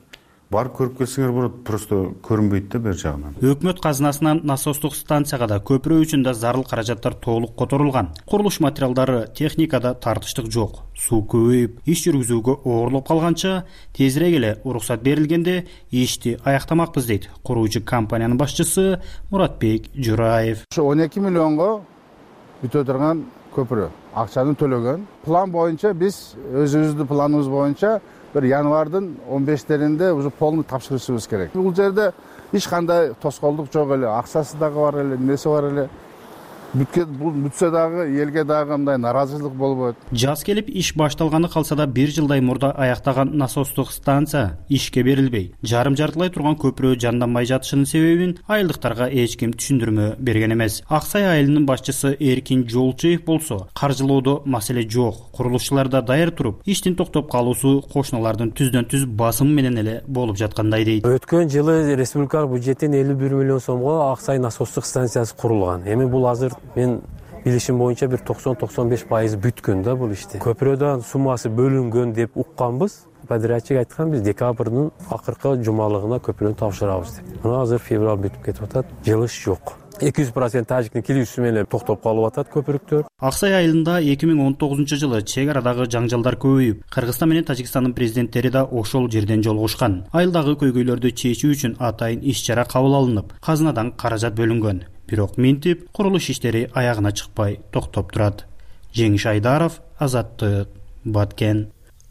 Speaker 23: Барып көрүп келсеңер болот, просто көрүнбөйт да бер жагынан.
Speaker 20: Өкмөт казынасынан насостук станцияга да көпүрө үчүн да зарыл каражаттар толук которулган. Курулуш материалдары, техникада тартыштык жок. Суу көбөйүп, иш жүргүзүүгө оорлоп калганча, тезирээк эле уруксат берилгенде ишти аяктамакпыз дейт куруучу компаниянын башчысы Муратбек Жураев.
Speaker 22: Ошо 12 миллионго бүтө турган көпүрө. Акчаны төлөгөн. План боюнча биз өзүбүздүн планыбыз боюнча bir январдын 15-теринде уже полный тапшырышыбыз керек. Бул жерде эч кандай тоскоолдук жок эле, акчасы дагы бар эле, немеси бар эле. Бүтсө дагы элге дагы мындай нааразычылык болбойт.
Speaker 20: Жаз келип иш башталганы калса да 1 жылдай мурда аяктаган насостук станция ишке берилбей, жарым-жартылай турган көпүрө жанданбай жатышынын себебин айылдыктарга эч ким түшүндүрмө берген эмес. Аксай айылынын башчысы Эркин Жолчуев болсо, каржылоодо маселе жок, курулушчулар да даяр туруп, иштин токтоп калуусу кошуналардын түздөн-түз басымы менен эле болуп жаткандай дейт.
Speaker 5: Өткөн жылы республикалык бюджеттен 51 миллион сомго Аксай насостук станциясы курулган. Эми бул азыр мен билишим боюнча бир 90-95% бүткөн да бул ишти. Көпүрөдөн суммасы бөлүнгөн деп укканбыз. Подрядчик айткан биз декабрдын акыркы жумалыгына көпүрөнү тапшырабыз деп. Мына азыр февраль бүтүп кетип атат. Жылыш жок. 200% тажиктин килүүсү менен токтоп калып атат көпүрөктөр.
Speaker 20: Аксай айылында 2019 жылы чек арадагы жаңжалдар көбөйүп, Кыргызстан менен Тажикстандын президенттери да ошол жерден жолугушкан. Айылдагы көйгөйлөрдү чечүү үчүн атайын иш-чара кабыл алынып, казынадан каражат бөлүнгөн. Бирок минтип курулуш иштери аягына чыкпай токтоп турат. Жеңиш Айдаров, Азаттык, Баткен.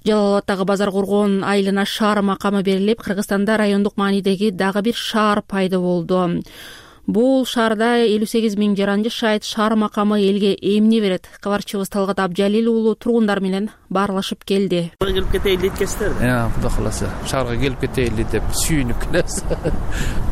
Speaker 1: Жалал Абадтагы Базар Кургон айылына шаар макамы берилип, Кыргызстанда райондук маанидеги дагы бир шаар пайда болду. Бул шаарда 58 000 жаран жашайт. Шаар макамы элге эмне берет? Кабарчыбыз Талгат Абжалил уулу тургундар менен баарлашып келди.
Speaker 6: Келип кетейин дейткенсиздер. Кудай кааласа, шаарга келип кетейин деп сүйүнүп келебиз.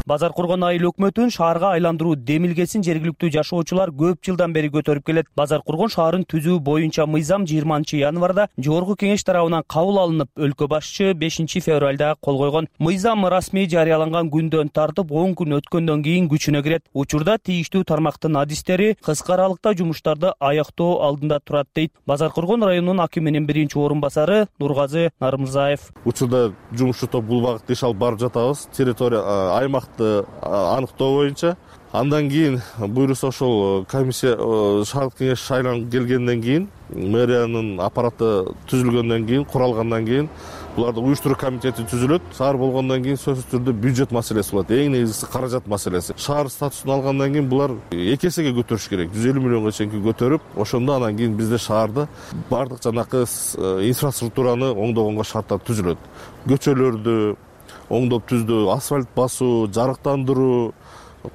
Speaker 7: Базар Кургон айыл өкмөтүн шаарга айландыруу демилгесин жергиликтүү жашоочулар көп жылдан бери көтөрүп келет. Базар Кургон шаарын түзүү боюнча мыйзам 20-январда Жогорку Кеңеш тарабынан кабыл алынып, өлкө башчы 5 февралда кол койгон. Мыйзам расмий жарыяланган күндөн тартып 10 күн өткөндөн кийин күчүнө кирет. Учурда тийиштүү тармактын адистери кыска аралыкта жумуштарды аяктоо алдында турат дейт Базар Кургон районунун акиминин биринчи орун басары Нургазы Нарымзаев.
Speaker 24: Учурда жумушчу топ бул багытта иш алып барып жатабыз. Территория аймакты аныктоо боюнча. Андан кийин буйруса ошол комиссия шаардык кеңеш шайланып келгенден кийин, мэриянын аппараты түзүлгөндөн кийин, куралгандан кийин буларды уюштуруу комитети түзүлөт. Шаар болгондон кийин сөзсүз түрдө бюджет маселеси болот. Эң негизгиси каражат маселеси. Шаар статусун алгандан кийин булар 2 эсеге көтөрүш керек. 150 миллионго чейин көтөрүп, ошондо анан кийин бизде шаарда бардык жанакы инфраструктураны оңдогонго шарттар түзүлөт. Көчөлөрдү оңдоп түздү, асфальт басуу, жарыктандыруу,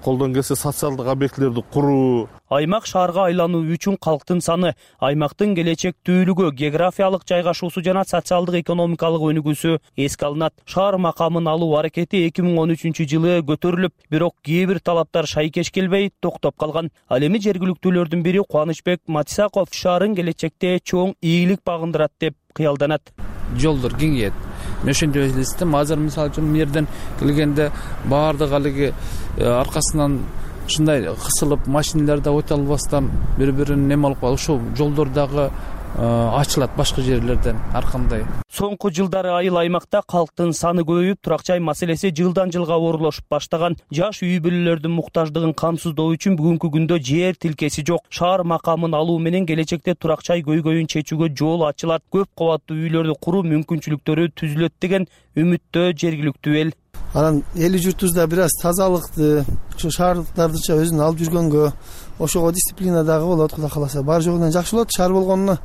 Speaker 24: колдон келсе социалдык объектилерди куруу.
Speaker 7: Аймак шаарга айлануу үчүн калктын саны, аймактын келечектүүлүгү, географиялык жайгашуусу жана социалдык экономикалык өнүгүүсү эске алынат. Шаар макамын алуу аракети 2013 жылы көтөрүлүп, бирок кээ бир талаптар шайкеш келбей токтоп калган. Ал эми жергиликтүүлөрдүн бири Кубанычбек Матисаков шаарын келечекте чоң ийгилик багындырат деп кыялданат.
Speaker 6: Жолдор кеңейет. Мен ошентип элестетем. Азыр мисалы үчүн мына жерден келгенде баардык алиги аркасынан ушундай кысылып, машиналар да өтө албастан бири-бирин неме алып калып, ошол жолдор дагы ачылат башка жерлерден ар кандай.
Speaker 7: Соңку жылдары айыл аймакта калктын саны көбөйүп, турак жай маселеси жылдан жылга оорлошуп баштаган. Жаш үй бүлөлөрдүн муктаждыгын камсыздоо үчүн бүгүнкү күндө жер тилкеси жок. Шаар макамын алуу менен келечекте турак жай көйгөйүн чечүүгө жол ачылат. Көп кабаттуу үйлөрдү куруу мүмкүнчүлүктөрү түзүлөт деген үмүттө жергиликтүү эл.
Speaker 25: Анан эли журтубузда бир аз тазалыкты, ушу шаардыктардыча өзүн алып жүргөнгө, ошого дисциплина дагы болот, Кудай кааласа. Бар жогунан жакшы болот. Шаар болгонуна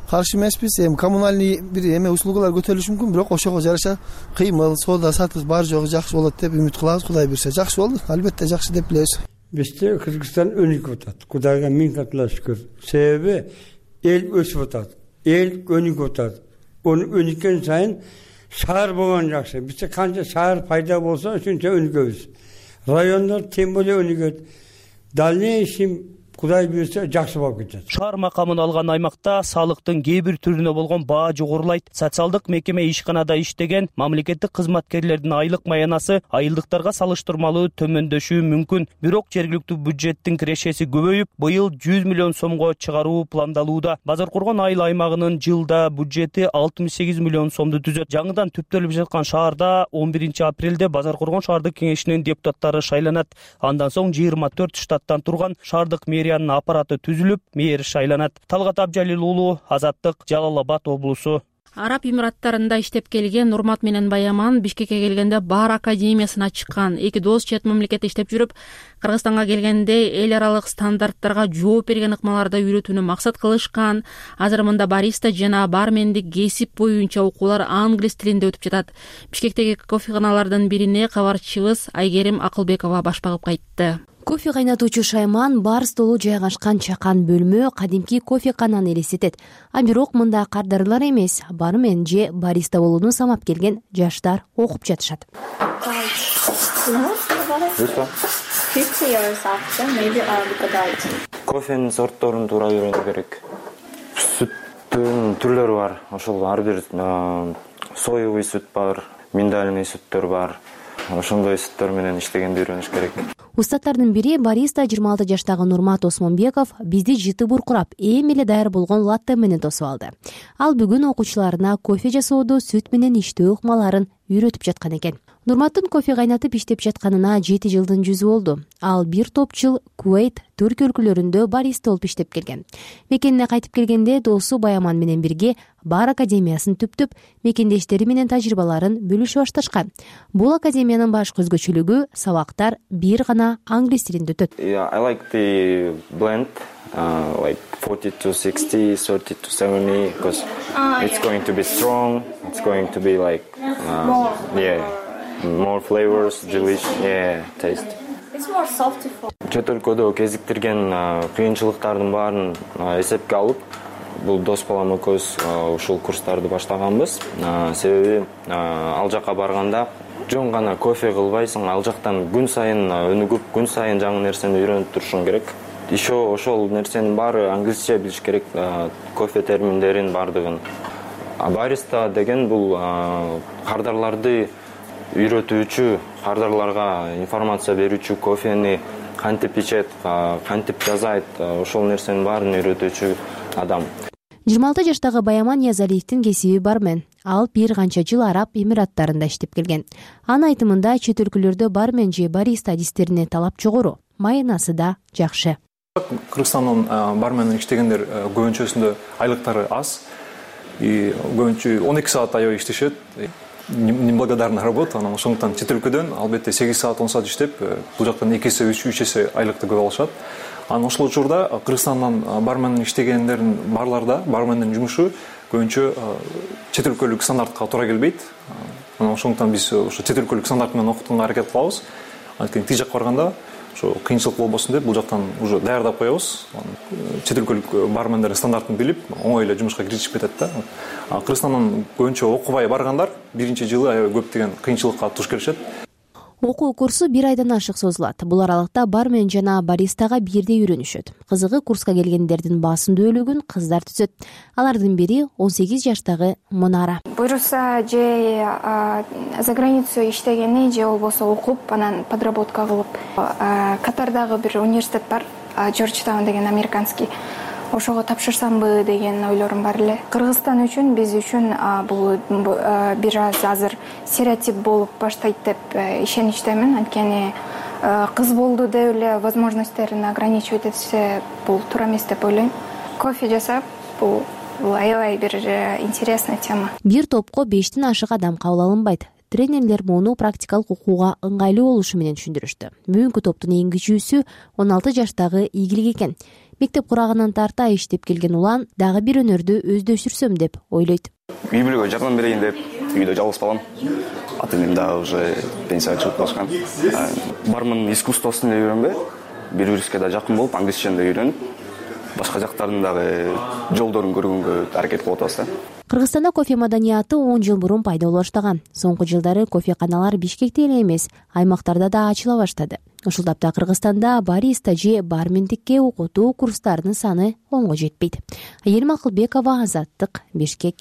Speaker 25: каршы эмеспиз. Эми коммунальный бир эме услугалар көтөрүлүшү мүмкүн, бирок ошого жараша кыймыл, соода сатык бар жогу жакшы болот деп үмүт кылабыз. Кудай буйрса жакшы болду. Албетте жакшы деп билебиз.
Speaker 26: Бизде Кыргызстан өнүгүп атат. Кудайга миң катла шүкүр. Себеби эл өсүп атат. Эл өнүгүп атат. Өнүккөн сайын шаар болгон жакшы. Бизде канча шаар пайда болсо, ошончо өнүгөбүз. Райондор тем более өнүгөт. Дальнейший Кудай буюрса жакшы болуп кетет.
Speaker 7: Шаар макамын алган аймакта салыктын кээ бир түрүнө болгон баа жогорулайт. Социалдык мекеме ишканада иштеген мамлекеттик кызматкерлердин айлык маянасы айылдыктарга салыштырмалуу төмөндөшү мүмкүн. Бирок жергиликтүү бюджеттин кирешеси көбөйүп, быйыл 100 миллион сомго чыгаруу пландалууда. Базар Кургон айыл аймагынын жылда бюджети 68 миллион сомду түзөт. Жаңыдан түптөлүп жаткан шаарда 11 апрелде Базар Кургон шаардык кеңешинин депутаттары шайланат. Андан соң 24 штаттан турган шаардык мэриянын аппараты түзүлүп, мэр шайланат. Талгат Абжалил уулу, Азаттык, Жалал Абад облусу.
Speaker 1: Араб Эмираттарында иштеп келген Нурмат менен Баяман Бишкекке келгенде Бар академиясына чыккан. Эки дос чет мамлекетте иштеп жүрүп, Кыргызстанга келгенде эл аралык стандарттарга жооп берген ыкмаларды үйрөтүүнү максат кылышкан. Азыр мында бариста жана бармендик кесип боюнча окуулар англис тилинде өтүп жатат. Бишкектеги кофеханалардын бирине кабарчыбыз Айгерим Акылбекова баш багып кайтты.
Speaker 2: Кофе кайнатуучу шайман бар столу жайгашкан чакан бөлмө кадимки кофекананы элестетет. А бирок мында кардарлар эмес, бармен же бариста болууну самап келген жаштар окуп жатышат.
Speaker 8: Кофенин сортторун туура үйрөнүү керек. Сүттүн түрлөрү бар. Ошол ар бир соевый сүт бар, миндальный сүттөр бар. Ошондой сүттөр менен иштегенди үйрөнүш керек.
Speaker 2: Устаттардын бири бариста 26 жаштагы Нурмат Осмонбеков бизди жыты буркурап, эми эле даяр болгон латте менен тосуп алды. Ал бүгүн окуучуларына кофе жасооду, сүт менен иштөө ыкмаларын үйрөтүп жаткан экен. Нурматтын кофе кайнатып иштеп жатканына 7 жылдын жүзү болду. Ал бир топ жыл Кувейт, Түркия өлкөлөрүндө бариста болуп иштеп келген. Мекенине кайтып келгенде досу Баяман менен бирге Бар академиясын түптүп, мекендештери менен тажрыйбаларын бөлүшүп башташкан. Бул академиянын башкы өзгөчөлүгү сабактар бир гана англис тилинде өтөт.
Speaker 8: I like the blend, like 40 to 60, 30 to 70, because it's going to be strong. It's going to be like, more flavors, delicious, taste.
Speaker 11: It's more salty.
Speaker 8: Чет өлкөдө кезиктирген кыйынчылыктардын баарын эсепке алып, бул дос балам экөөбүз ушул курстарды баштаганбыз. Себеби ал жака барганда жөн гана кофе кылбайсың, ал жактан күн сайын өнүгүп, күн сайын жаңы нерсени үйрөнүп турушуң керек. Ишо ошол нерсенин баары англисче билиш керек, кофе терминдерин бардыгын. Бариста деген бул кардарларды үйрөтүүчү, кардарларга информация берүүчү, кофени кантип ичет, кантип жасайт, ошол нерсенин баарын үйрөтүүчү адам.
Speaker 2: 26 жаштагы Баяман Язалиевдин кесиби бармен. Ал бир канча жыл Араб Эмираттарында иштеп келген. Анын айтымында чет өлкөлөрдө бармен же бариста адистерине талап жогору, маянасы да жакшы.
Speaker 12: Кыргызстандын барменин иштегендер көбүнчөсүндө айлыктары аз. Көбүнчө 12 саат аябай иштешет. Неблагодарная работа, анан ошондуктан чет өлкөдөн албетте 8 саат 10 саат иштеп, бул жактан 2 эсе 3 эсе айлыкты көп алышат. Анан ошол учурда Кыргызстандан бармен иштегендердин барларда бармендин жумушу көбүнчө чет өлкөлүк стандартка туура келбейт. Анан ошондуктан биз ошо чет өлкөлүк стандарт менен окутууга аракет кылабыз. Анткени тиги жакка барганда ошо кыйынчылык болбосун деп бул жактан уже даярдап коебуз. Чет өлкөлүк бармендер стандартын билип, оңой эле жумушка киришип кетет да. Кыргызстандан көбүнчө окубай баргандар биринчи жылы аябай көптөгөн кыйынчылыкка туш келишет.
Speaker 2: Окуу курсу 1 айдан ашык созулат. Бул аралыкта бармен жана баристага бирдей үйрөнүшөт. Кызыгы курска келгендердин басымдуулугун кыздар түзөт. Алардын бири 18 жаштагы Мунара.
Speaker 11: Буюрса же за границу иштегени же болбосо окуп, анан подработка кылып, Катардагы бир университет бар, Джорджтаун деген американский. Ошого тапшырсамбы деген ойлорум бар эле. Кыргызстан үчүн, биз үчүн бул бир аз азыр стереотип болуп баштайт деп ишеничтемин. Анткени кыз болду деп эле возможностьтерин ограничивать этсе бул туура эмес деп ойлойм. Кофе жасап, бул аябай бир интересная тема.
Speaker 2: Бир топко 5тен ашык адам кабыл алынбайт. Тренерлер муну практикалык окууга ыңгайлуу болушу менен түшүндүрүштү. Бүгүнкү топтун эң кичүүсү 16 жаштагы Игилик экен. Мектеп курагынан тарта иштеп келген улан дагы бир өнөрдү өздөштүрсөм деп ойлойт.
Speaker 13: Үй бүлөгө жардам берейин деп үйдө жалгыз балам. Ата энем дагы уже пенсияга чыгып калышкан. Бармын искусствосун эле үйрөнбөй, бири-бирибизге да жакын болуп, англисчени да үйрөнүп, башка жактардын дагы жолдорун көргөнгө аракет кылып атабыз да.
Speaker 2: Кыргызстанда кофе маданияты 10 жыл мурун пайда боло баштаган. Соңку жылдары кофеканалар Бишкекте эле эмес, аймактарда да ачыла баштады. Ушул тапта Кыргызстанда бариста же бармендикке окутуу курстарынын саны 10го жетпейт. Айгерим Акылбекова, Азаттык, Бишкек.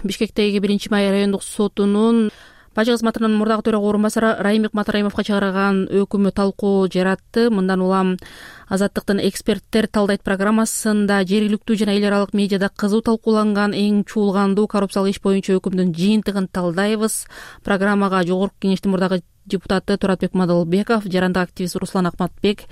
Speaker 1: Бишкектеги 1-май райондук сотунун бажы кызматынын мурдагы төрага орун басары Райымбек Матраимовго чыгарган өкүмү талкуу жаратты. Мындан улам Азаттыктын эксперттер талдайт программасында жергиликтүү жана эл аралык медиада кызуу талкууланган эң чуулгандуу коррупциялык иш боюнча өкүмдүн жыйынтыгын талдайбыз. Программага Жогорку Кеңештин мурдагы депутаты Туратбек Мадылбеков, жарандык активист Руслан Акматбек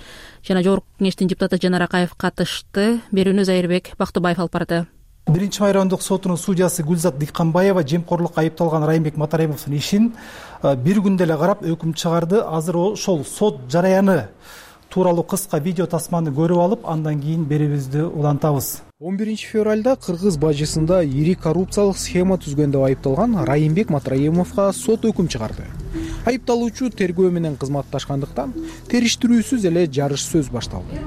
Speaker 1: жана Жогорку Кеңештин депутаты Жанар Акаев катышты. Берүүнү Зайырбек Бактыбаев алып барды.
Speaker 3: 1-май райондук сотунун судьясы Гүлзат Дикканбаева жемкорлукка айыпталган Райымбек Матраимовдун ишин бир күндө эле карап өкүм чыгарды. Азыр ошол сот жараяны тууралуу кыска видео тасманы көрүп алып, андан кийин берүүбүздү улантабыз.
Speaker 4: 11 февралда кыргыз бажысында ири коррупциялык схема түзгөн деп айыпталган Райымбек Матраимовго сот өкүм чыгарды. Айыпталуучу тергөө менен кызматташкандыктан териштирүүсүз эле жарыш сөз башталды.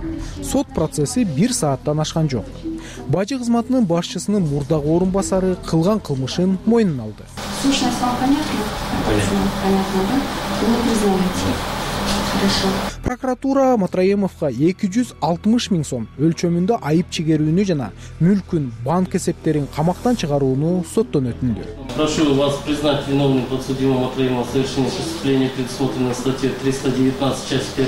Speaker 4: Сот процесси 1 сааттан ашкан жок. Бажы кызматынын башчысынын мурдагы орун басары кылган кылмышын мойнуна алды.
Speaker 9: Сущность вам понятна? Понятно, да? Вы признаете? Хорошо.
Speaker 4: Прокуратура Матраимовго 260 000 сом өлчөмүндө айып чегерүүнү жана мүлкүн, банк эсептерин камактан чыгарууну соттон өтүндү.
Speaker 10: Прошу вас признать виновным подсудимого Матраимова в совершении преступления, предусмотренного статьей 319, часть 1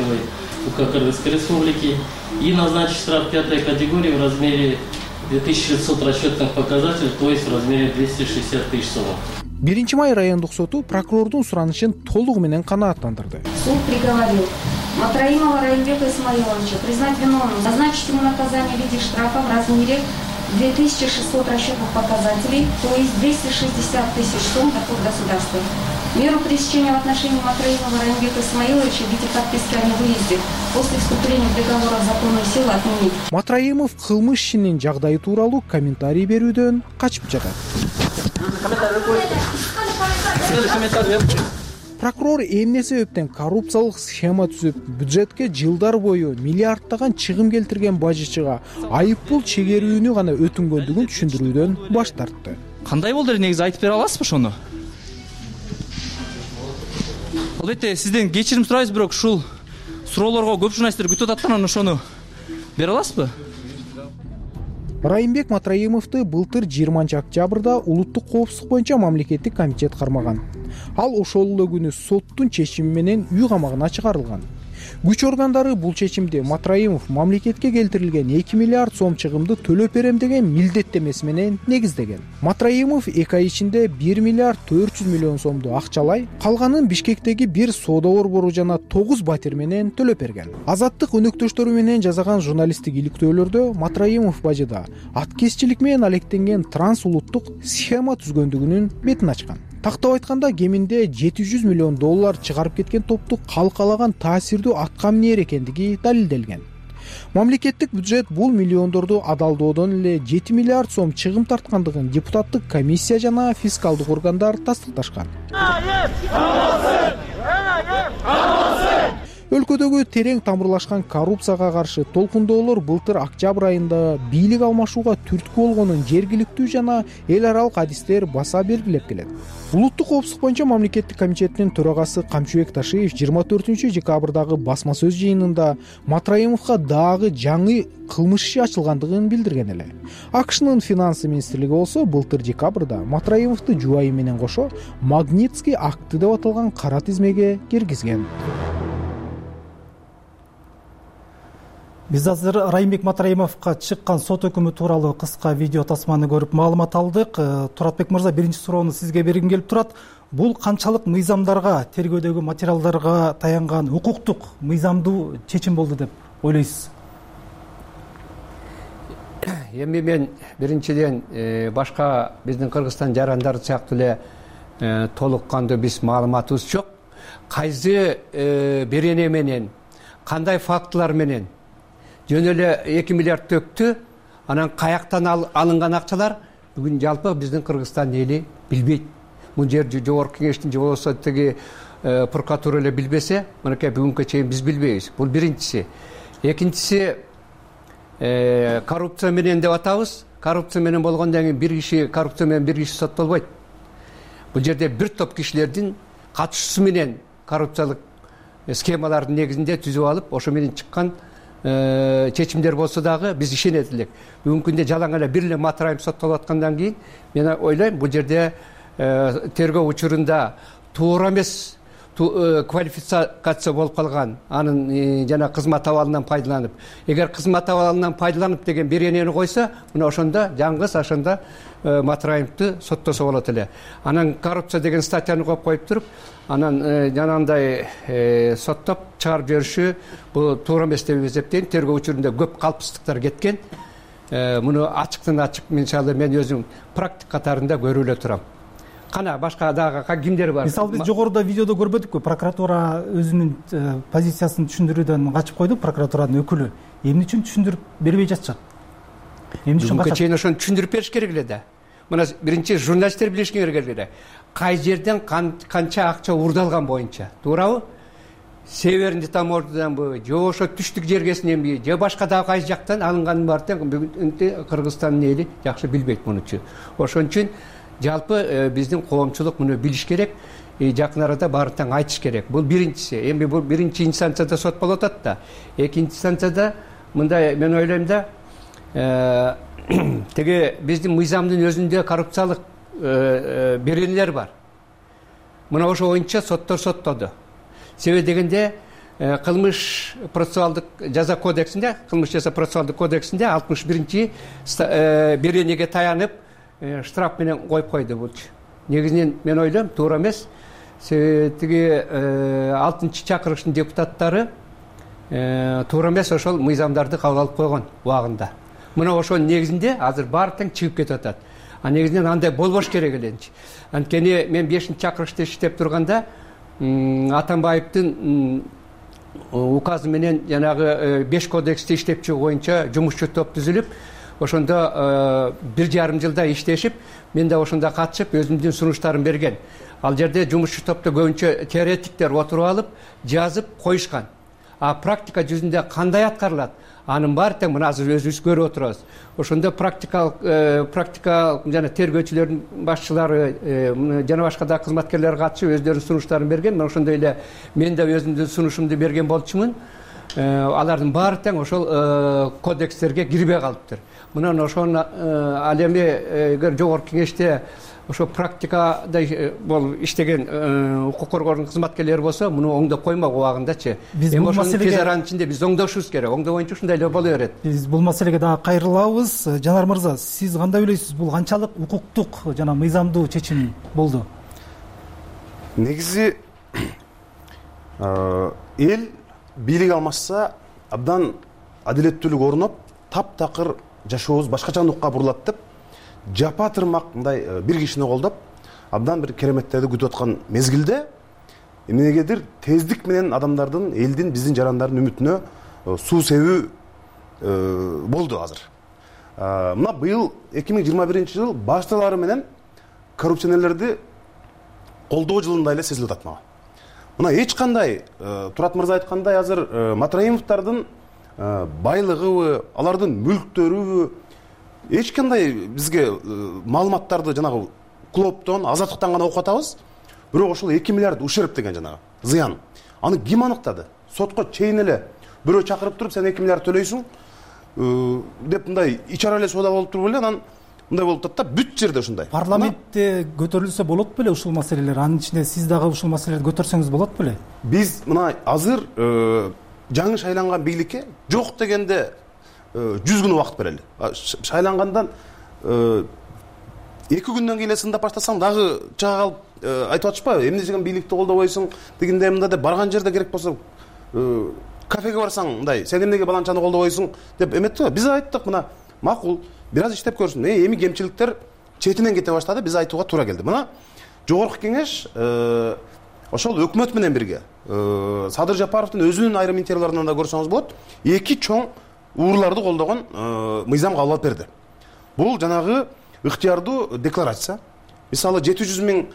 Speaker 10: УК Кыргызской Республики, и назначить штраф 5 категории в размере 2600 расчетных показателей, то есть в размере 260 000 сом.
Speaker 4: 1-май райондук соту прокурордун суранышын толугу менен канааттандырды.
Speaker 9: Суд приговорил Матраимова Райымбека Исмаиловича признать виновным, назначить ему наказание в виде штрафа в размере 2600 расчетных показателей, то есть 260 000 сом доход государства. Меру пресечения в отношении Матраимова Райымбека Исмаиловича в виде подписки о невыезде после вступления приговора в законную силу отменить.
Speaker 4: Матраимов кылмыш ишинин жагдайы тууралуу комментарий берүүдөн качып жатат. Прокурор эмне себептен коррупциялык схема түзүп, бюджетке жылдар бою миллиардтаган чыгым келтирген бажычыга айып пул чегерүүнү гана өтүнгөндүгүн түшүндүрүүдөн баш тартты.
Speaker 14: Кандай болду эле, негизи айтып бере аласызбы ошону? Албетте сизден кечирим сурайбыз, бирок ушул суроолорго көп журналисттер күтүп атат, анан ошону бере аласызбы?
Speaker 4: Райымбек Матраимовду былтыр 20 октябрда улуттук коопсуздук боюнча мамлекеттик комитет кармаган. Ал ошол эле күнү соттун чечими менен үй камагына чыгарылган. Күч органдары бул чечимди Матраимов мамлекетке келтирилген 2 миллиард сом чыгымды төлөп берем деген милдеттемеси менен негиздеген. Матраимов 2 ай ичинде 1 миллиард 400 миллион сомду акчалай, калганын Бишкектеги бир соода борбору жана 9 батир менен төлөп берген. Азаттык өнөктөштөрү менен жасаган журналисттик иликтөөлөрдө Матраимов бажыда аткезчилик менен алектенген трансулуттук схема түзгөндүгүнүн бетин ачкан. Тактап айтканда кеминде $700 миллион чыгарып кеткен топту калкалаган таасирдүү атка минер экендиги далилделген. Мамлекеттик бюджет бул миллиондорду адалдоодон эле 7 миллиард сом чыгым тарткандыгын депутаттык комиссия жана фискалдык органдар тастыкташкан. Өлкөдөгү терең тамырлашкан коррупцияга каршы толкундоолор былтыр октябрь айында бийлик алмашууга түрткү болгонун жергиликтүү жана эл аралык адистер баса белгилеп келет. Улуттук коопсуздук боюнча мамлекеттик комитеттин төрагасы Камчыбек Ташиев 24 декабрдагы басма сөз жыйынында Матраимовго дагы жаңы кылмыш иши ачылгандыгын билдирген эле. АКШнын финансы министрлиги болсо былтыр декабрда Матраимовду жубайы менен кошо Магнитский акты деп аталган кара тизмеге киргизген.
Speaker 3: Биз азыр Райымбек Матраимовго чыккан сот өкүмү тууралуу кыска видео тасманы көрүп маалымат алдык. Туратбек мырза, биринчи суроону сизге бергим келип турат. Бул канчалык мыйзамдарга, тергөөдөгү материалдарга таянган укуктук мыйзамдуу чечим болду деп ойлойсуз?
Speaker 15: Эми мен биринчиден башка биздин Кыргызстан жарандары сыяктуу эле толук кандуу биз маалыматыбыз жок. Кайсы берене менен, кандай фактылар менен жөн эле 2 миллиард төктү, анан каяктан алынган акчалар бүгүн жалпы биздин Кыргызстан эли билбейт. Бул жер Жогорку Кеңештин же болбосо тиги прокуратура эле билбесе, мынакей бүгүнкү чейин биз билбейбиз. Бул биринчиси. Экинчиси, коррупция менен деп атабыз. Коррупция менен болгондон кийин коррупция менен бир киши соттолбойт. Бул жерде бир топ кишилердин катышуусу менен коррупциялык схемалардын негизинде түзүп алып, ошо менен чыккан чечимдер болсо дагы биз ишенет элек. Бүгүнкү күндө жалаң эле бир эле Матраев соттолуп аткандан кийин мен ойлойм, бул жерде тергөө учурунда туура эмес квалификация болуп калган, анын жана кызмат абалынан пайдаланып. Эгер кызмат абалынан пайдаланып деген беренени койсо, мына ошондо жаңгыз ошондо Матраевди соттосо болот эле. Анан коррупция деген статьяны коюп туруп, анан жанагындай соттоп чыгарып жибериши бул туура эмес деп эсептейм. Тергөө учурунда көп калпсыздыктар кеткен. Муну ачыктан ачык мисалы мен өзүм практик катарында көрүп эле турам. Кана башка дагы кимдер бар?
Speaker 3: Мисалы биз жогоруда видеодо көрбөдүкпү? Прокуратура өзүнүн позициясын түшүндүрүүдөн качып койду. Прокуратуранын өкүлү эмне үчүн түшүндүрүп бербей жатышат? Эмне үчүн качат?
Speaker 15: Чейин ошону түшүндүрүп бериш керек эле да. Мына биринчи журналисттер билиш керек эле. Кай жерден канча акча уурдалган боюнча, туурабы? Северный таможняданбы, же ошо түштүк жергесиненби, же башка дагы кайсы жактан алынганын баарын бүгүн Кыргызстандын эли жакшы билбейт мунучу. Ошон үчүн жалпы биздин коомчулук муну билиш керек, жакын арада баарын айтыш керек. Бул биринчиси. Эми бул биринчи инстанцияда сот болуп атат да. Экинчи инстанцияда мындай мен ойлойм да, теге биздин мыйзамдын өзүндө коррупциялык беренелер бар. Мына ошо боюнча соттор соттоду. Себеби дегенде кылмыш процессуалдык жаза кодексинде, кылмыш жаза процессуалдык кодексинде 61-чи беренеге таянып штраф менен коюп койду булчу. Негизинен мен ойлойм туура эмес. Тиги 6-чакырыштын депутаттары туура эмес ошол мыйзамдарды кабыл алып койгон убагында. Мына ошонун негизинде азыр баары тең чыгып кетип атат. Негизинен андай болбош керек эленчи. Анткени мен 5-чакырышта иштеп турганда Атамбаевдин указы менен жанагы 5 кодексти иштеп чыгуу боюнча жумушчу топ түзүлүп, ошондо 1,5 жылда иштешип, мен да ошондо катышып өзүмдүн сунуштарымды берген. Ал жерде жумушчу топто көбүнчө теоретиктер отуруп алып, жазып коюшкан. А практика жүзүндө кандай аткарылат? Анын баары тең мына азыр өзүбүз көрүп отурабыз. Ошондо практика жана тергөөчүлөрдүн башчылары жана башка да кызматкерлер катышып өздөрүнүн сунуштарын берген. Мен ошондой эле мен да өзүмдүн сунушумду берген болчумун. Алардын баары тең ошол кодекстерге кирбей калыптыр. Мына ошону ал эми эгер жогорку кеңеште ошо практикада болуп иштеген укук коргоонун кызматкерлери болсо, муну оңдоп коймок убагындачы. Эми ошону тез аранын ичинде биз оңдошубуз керек. Оңдоо боюнча ушундай эле боло берет.
Speaker 3: Биз бул маселеге дагы кайрылабыз. Жанар мырза, сиз кандай ойлойсуз? Бул канчалык укуктук жана мыйзамдуу чечим болду?
Speaker 16: Негизи эл бийлик алмашса абдан адилеттүүлүк орноп, таптакыр жашообуз башкача нукка бурулат деп жапа тырмак мындай бир кишини колдоп абдан бир кереметтерди күтүп аткан мезгилде эмнегедир тездик менен адамдардын, элдин, биздин жарандардын үмүтүнө суу себүү болду азыр. Мына быйыл 2021-жыл башталары менен коррупционерлерди колдоо жылында эле сезилип атат мага. Мына эч кандай Турат мырза айткандай азыр Матраимовдардын байлыгыбы, алардын мүлктөрүбү эч кандай бизге маалыматтарды жанагы клоптон, азаттыктан гана окуп атабыз. Бирок ошол 2 миллиард ушерп деген жанагы зыян. Аны ким аныктады? Сотко чейин эле бирөө чакырып туруп, сен 2 миллиард төлөйсүң деп мындай ичара эле соода болуп туруп эле анан мындай болуп атат да, бүт жерде ушундай.
Speaker 3: Парламентте көтөрүлсө болот беле ушул маселелер? Анын ичинде сиз дагы ушул маселелерди көтөрсөңүз болот беле?
Speaker 16: Биз мына азыр жаңы шайланган бийликке жок дегенде 100 күн убакыт берели. Шайлангандан 2 күндөн кийин эле сындап баштасаң дагы чыга калып айтып атышпайбы? Эмне деген бийликти колдобойсуң дегенде мында деп барган жерде керек болсо кафеге барсаң мындай, сен эмнеге баланчаны колдобойсуң деп эметти. Биз айттык, мына макул, бир аз иштеп көрсүн. Эми кемчиликтер четинен кете баштады, биз айтууга туура келди. Мына жогорку кеңеш ошол өкмөт менен бирге Садыр Жапаровдун өзүнүн айрым интервьюларынан да көрсөңүз болот, 2 чоң уурларды колдогон мыйзам кабыл алып берди. Бул жанагы ыктыярдуу декларация. Мисалы 700 000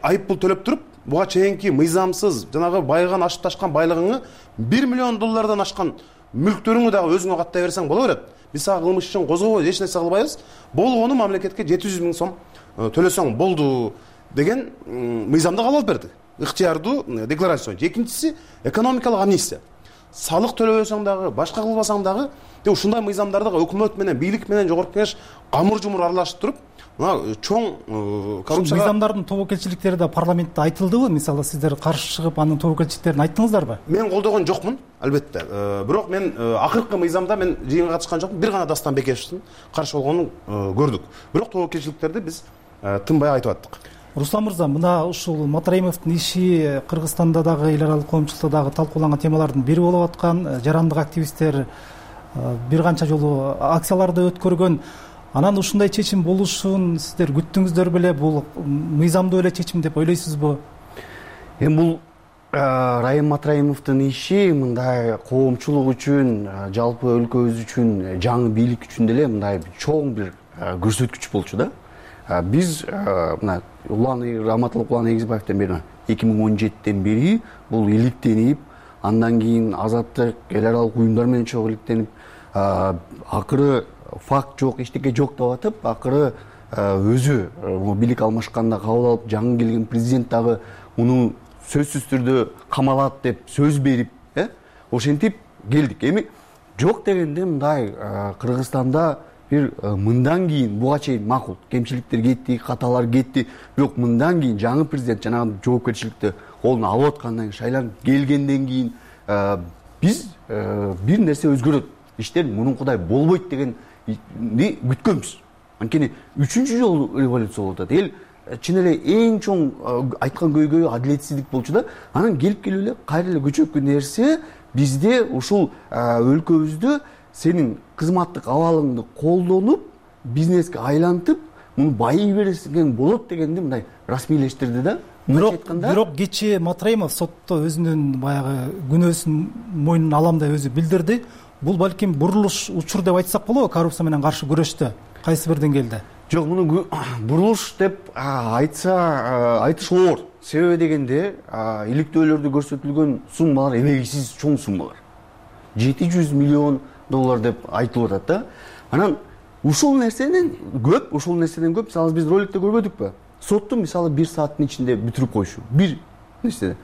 Speaker 16: айып пул төлөп туруп, буга чейинки мыйзамсыз жанагы байыган ашып ташкан байлыгыңы $1 миллион ашкан мүлктөрүңү дагы өзүңө каттай берсең боло берет. Биз сага кылмыш ишин козгобойбуз, эч нерсе кылбайбыз. Болгону мамлекетке 700 000 сом төлөсөң болду деген мыйзамды кабыл алып берди. Ыктыярдуу декларация. Экинчиси экономикалык амнистия. Салык төлөбөсөң дагы, башка кылбасаң дагы, ушундай мыйзамдарды өкмөт менен, бийлик менен жогорку кеңеш камыр-жумур аралашып туруп, мына чоң коррупция
Speaker 3: мыйзамдардын тобокелчиликтери да парламентте айтылдыбы? Мисалы сиздер каршы чыгып анын тобокелчиликтерин айттыңыздарбы?
Speaker 16: Мен колдогон жокмун, албетте. Бирок мен акыркы мыйзамда мен жыйынга катышкан жокмун. Бир гана Дастан Бекешевдин каршы болгонун көрдүк. Бирок тобокелчиликтерди биз тынбай айтып аттык.
Speaker 3: Руслан мырза, мына ушул Матраимовдун иши Кыргызстанда дагы эл аралык коомчулукта дагы талкууланган темалардын бири болуп аткан. Жарандык активисттер бир канча жолу акцияларды өткөргөн. Анан ушундай чечим болушун сиздер күттүңүздөр беле? Бул мыйзамдуу эле чечим деп ойлойсузбу?
Speaker 17: Эми бул Райым Матраимовдун иши мындай коомчулук үчүн, жалпы өлкөбүз үчүн, жаңы бийлик үчүн деле мындай чоң бир көрсөткүч болчу да. Биз мына Раматылык Улан Эгизбаевден бери 2017-тен бери бул иликтенип, андан кийин Азаттык эл аралык уюмдар менен чогуу иликтенип, акыры факт жок, эчтеке жок деп атып, акыры өзү бийлик алмашканда кабыл алып, жаңы келген президент дагы муну сөзсүз түрдө камалат деп сөз берип, ошентип келдик. Эми жок дегенде мындай Кыргызстанда бир мындан кийин буга чейин макул кемчиликтер кетти, каталар кетти, бирок мындан кийин жаңы президент жанагы жоопкерчиликти колуна алып аткандан кийин, шайланып келгенден кийин биз бир нерсе өзгөрөт, иштер мурункудай болбойт дегенди күткөнбүз. Анткени 3-чү жолу революция болуп атат. Эл чын эле эң чоң айткан көйгөйү адилетсиздик болчу да. Анан келип эле кайра эле көчөккө нерсе бизде ушул өлкөбүздө сенин кызматтык абалыңды колдонуп, бизнеске айлантып, муну байый берсең болот дегенди мындай расмийлештирди да.
Speaker 3: Бирок кечээ Матраимов сотто өзүнүн баягы күнөөсүн мойнуна алам деп өзү билдирди. Бул балким бурулуш учур деп айтсак болобу коррупция менен каршы күрөштө кайсы бир деңгээлде?
Speaker 17: Жок, муну бурулуш деп айтыш оор. Себеби дегенде иликтөөлөрдө көрсөтүлгөн суммалар эбегисиз чоң суммалар. $700 миллион деп айтылып атат да. Анан ушул нерседен көп, мисалы биз роликте көрбөдүкпү? Сотту мисалы 1 сааттын ичинде бүтүрүп койшу. Бир нерседе.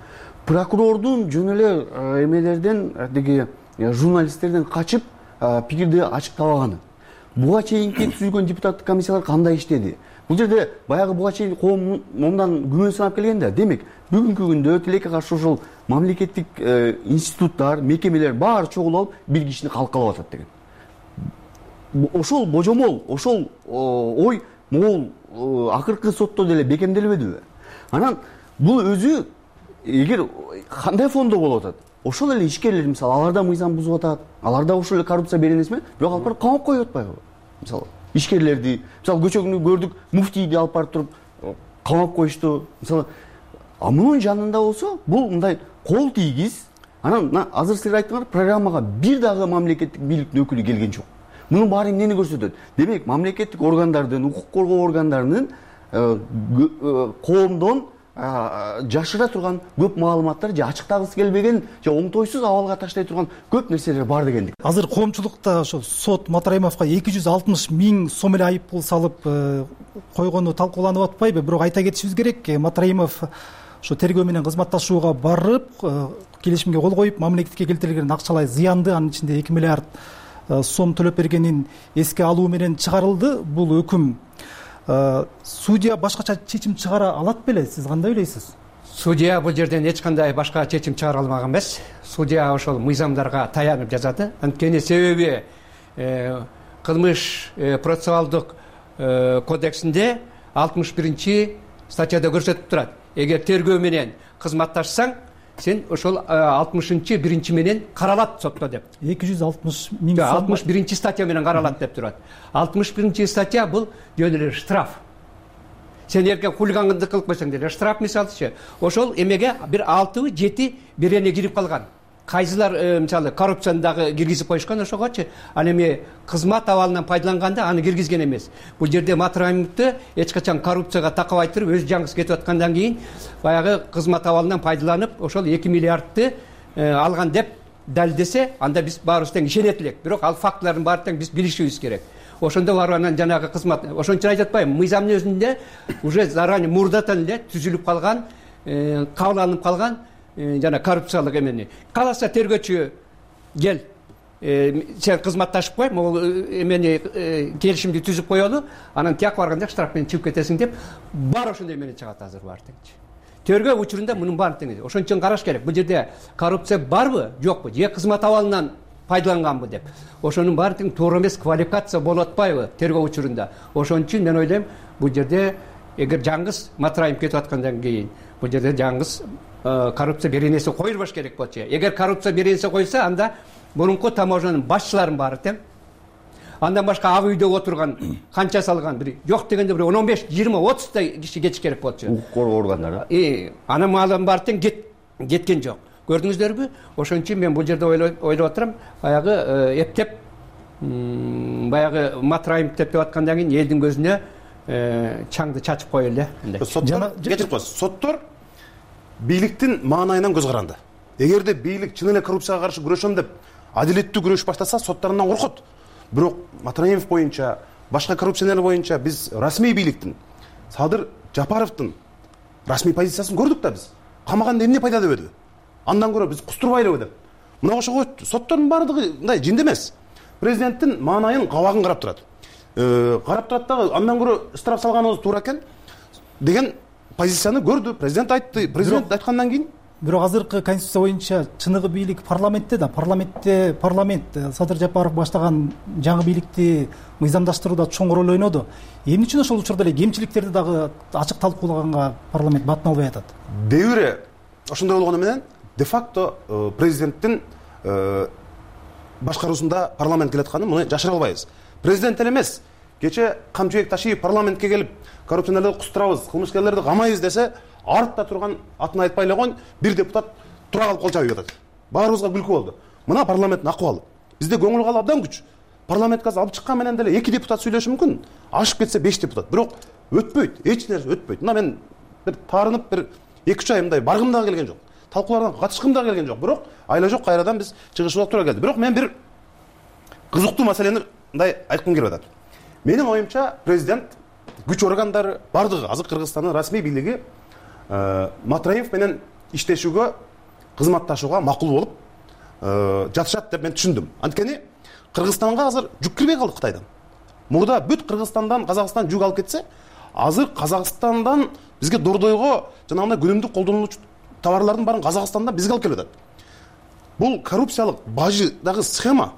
Speaker 17: Прокурордун жөн эле эмелерден, деги журналисттерден качып пикирди ачыктабаганы. Буга чейинки түзүлгөн депутаттык комиссиялар кандай иштеди? Бул жерде баягы буга чейин коом момундан күмөн санап келген да. Демек, бүгүнкү күндө тилекке каршы ушул мамлекеттик институттар, мекемелер баары чогулуп бир кишини калкалап атат деген. Ошол божомол, ошол ой могул акыркы сотто деле бекемделбедиби? Анан бул өзү эгер кандай фондо болуп атат? Ошол эле ишкерлер, мисалы, аларда мыйзам бузуп атат, аларда ошол эле коррупция беренеси менен, бирок алып барып камап коюп атпайбы? Мисалы, ишкерлерди, мисалы, көчөгүнү көрдүк, муфтийди алып барып туруп камап коюшту. Мисалы, мунун жанында болсо, бул мындай кол тийгиз. Анан азыр силер айттыңар, программага бир дагы мамлекеттик бийликтин өкүлү келген жок. Мунун баары эмнени көрсөтөт? Демек, мамлекеттик органдардын, укук коргоо органдарынын коомдон жашыра турган көп маалыматтар же ачыктагысы келбеген же оңтойсуз абалга таштай турган көп нерселер бар дегендик.
Speaker 3: Азыр коомчулукта ошо сот Матраимовго 260 000 сом эле айыппул салып койгону талкууланып атпайбы? Бирок айта кетишибиз керек, Матраимов ошо тергөө менен кызматташууга барып, келишимге кол коюп, мамлекетке келтирилген акчалай зыянды, анын ичинде 2 миллиард сом төлөп бергенин эске алуу менен чыгарылды. Бул өкүм судья башкача чечим чыгара алат беле? Сиз кандай ойлойсуз?
Speaker 15: Судья бул жерден эч кандай башка чечим чыгара алмаган эмес. Судья ошол мыйзамдарга таянып жазат. Анткени себеби кылмыш процессуалдык кодексинде 61 статьяда көрсөтүп турат. Эгер тергөө менен кызматташсаң, сен ошол 61 менен каралат сотто деп.
Speaker 3: 260 000 сом.
Speaker 15: 61 статья менен каралат деп турат. 61 статья бул жөн эле штраф. Сен эркен хулигандык кылып койсоң деле штраф, мисалычы. Ошол эмеге бир 6-7 берене кирип калган. кайсылар мисалы коррупцияны дагы киргизип коюшкан ошогочу. Ал эми кызмат абалынан пайдаланганда аны киргизген эмес. Бул жерде Матраимовду эч качан коррупцияга такабай туруп өз жаңгысы кетип аткандан кийин баягы кызмат абалынан пайдаланып ошол 2 миллиардты алган деп далилдесе, анда биз баарыбыз тең ишенет элек. Бирок ал фактылардын баары тең биз билишибиз керек. Ошондо барып анан жанагы кызмат, ошон үчүн айтып атпаймынбы, мыйзамдын өзүндө уже заранее мурдатан эле түзүлүп калган, кабыл алынып калган жана коррупциялык эмени. Кааласа тергөөчү кел, сен кызматташып кой, могул эмени келишимди түзүп коелу, анан тияк барганда штраф менен чыгып кетесиң деп бар ошондой эмени чыгат азыр баары тең. Тергөө учурунда мунун баары тең. Ошон үчүн караш керек. Бул жерде коррупция барбы, жокпу, же кызмат абалынан пайдаланганбы деп. Ошонун баары тең туура эмес квалификация болуп атпайбы тергөө учурунда. Ошон үчүн мен ойлойм, бул жерде эгер жаңгыз Матраимов кетип аткандан кийин бул жерде жаңгыз коррупция беренеси коюлбаш керек болчу. Эгер коррупция беренеси койса, анда мурунку таможнянын башчыларынын баары тең. Андан башка ак үйдө отурган канча салган бир жок дегенде бир 15, 20, 30 та киши кетиш керек болчу.
Speaker 17: Укук коргоо органдары.
Speaker 15: Анан маалын баары тең кеткен жок. Көрдүңүздөрбү? Ошон үчүн мен бул жерде ойлоп отурам, баягы эптеп баягы Матраимов деп аткандан кийин элдин көзүнө чаңды чачып кое эле.
Speaker 16: Кечирип коесуз. Соттор бийликтин маанайынан көз каранды. Эгерде бийлик чын эле коррупцияга каршы күрөшөм деп адилеттүү күрөш баштаса, соттарынан коркот. Бирок Матраимов боюнча, башка коррупционерлер боюнча биз расмий бийликтин, Садыр Жапаровдун расмий позициясын көрдүк да биз. Камаганда эмне пайда дебеди? Андан көрө биз кустурбайлыбы деп. Мына ошого соттордун баардыгы мындай жинди эмес. Президенттин маанайын кабагын карап турат. Карап турат дагы андан көрө штраф салганыбыз туура экен деген позицияны көрдү. Президент айтты. Президент айткандан кийин
Speaker 3: бирок азыркы конституция боюнча чыныгы бийлик парламентте да, парламент Садыр Жапаров баштаган жаңы бийликти мыйзамдаштырууда чоң роль ойноду. Эмне үчүн ошол учурда эле кемчиликтерди дагы ачык талкуулаганга парламент батын албай атат?
Speaker 16: Дебире ошондой болгону менен де-факто президенттин башкаруусунда парламент келатканын муну жашыра албайбыз. Президент эле эмес, кече Камчыбек Ташиев парламентке келип коррупционерлерди кустурабыз, кылмышкерлерди камайбыз десе, артта турган атын айтпай эле койгон бир депутат тура калып кол чабып атат. Баарыбызга күлкү болду. Мына парламенттин акыбалы. Бизде көңүл калып абдан күч. Парламентке алып чыккан менен деле 2 депутат сүйлөшү мүмкүн. Ашып кетсе 5 депутат. Бирок өтпөйт, эч нерсе өтпөйт. Мына мен бир таарынып бир 2-3 ай мындай баргым дагы келген жок. Талкуулардан катышкым дагы келген жок. Бирок айла жок кайрадан биз чыгышыбызга туура келди. Бирок мен бир кызыктуу маселени мындай айткым келип атат. Менин оюмча президент, күч органдары бардыгы азыр Кыргызстандын расмий бийлиги Матраимов менен иштешүүгө, кызматташууга макул болуп жатышат деп мен түшүндүм. Анткени Кыргызстанга азыр жүк кирбей калды Кытайдан. Мурда бүт Кыргызстандан Казакстан жүк алып кетсе, азыр Казакстандан бизге дордойго жанагындай күнүмдүк колдонулуучу товарлардын баарын Казакстандан бизге алып келип атат. Бул коррупциялык бажыдагы схема,